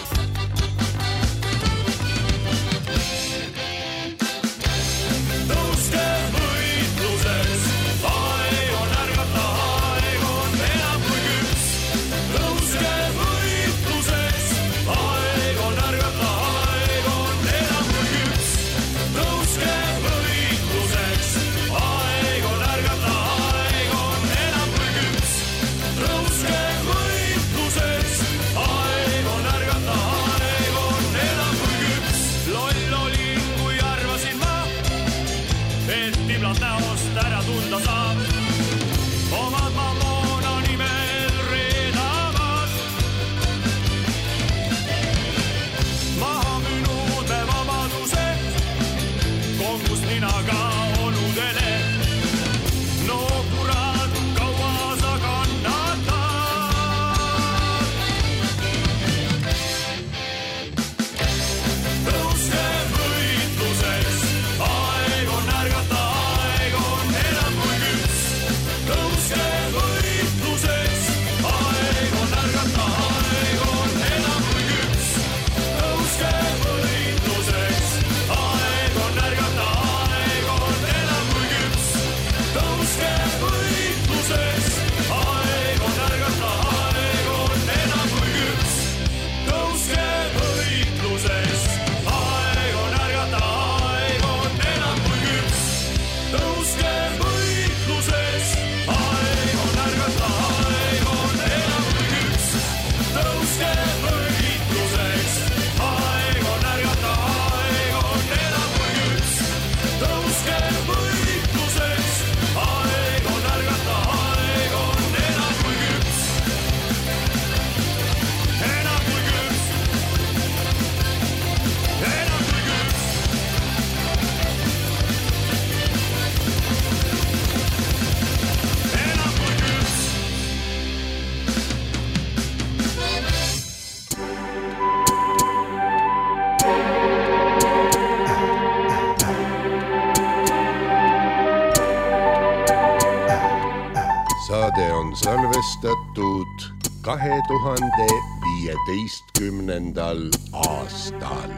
saade on salvestatud kahe tuhande viieteistkümnendal aastal.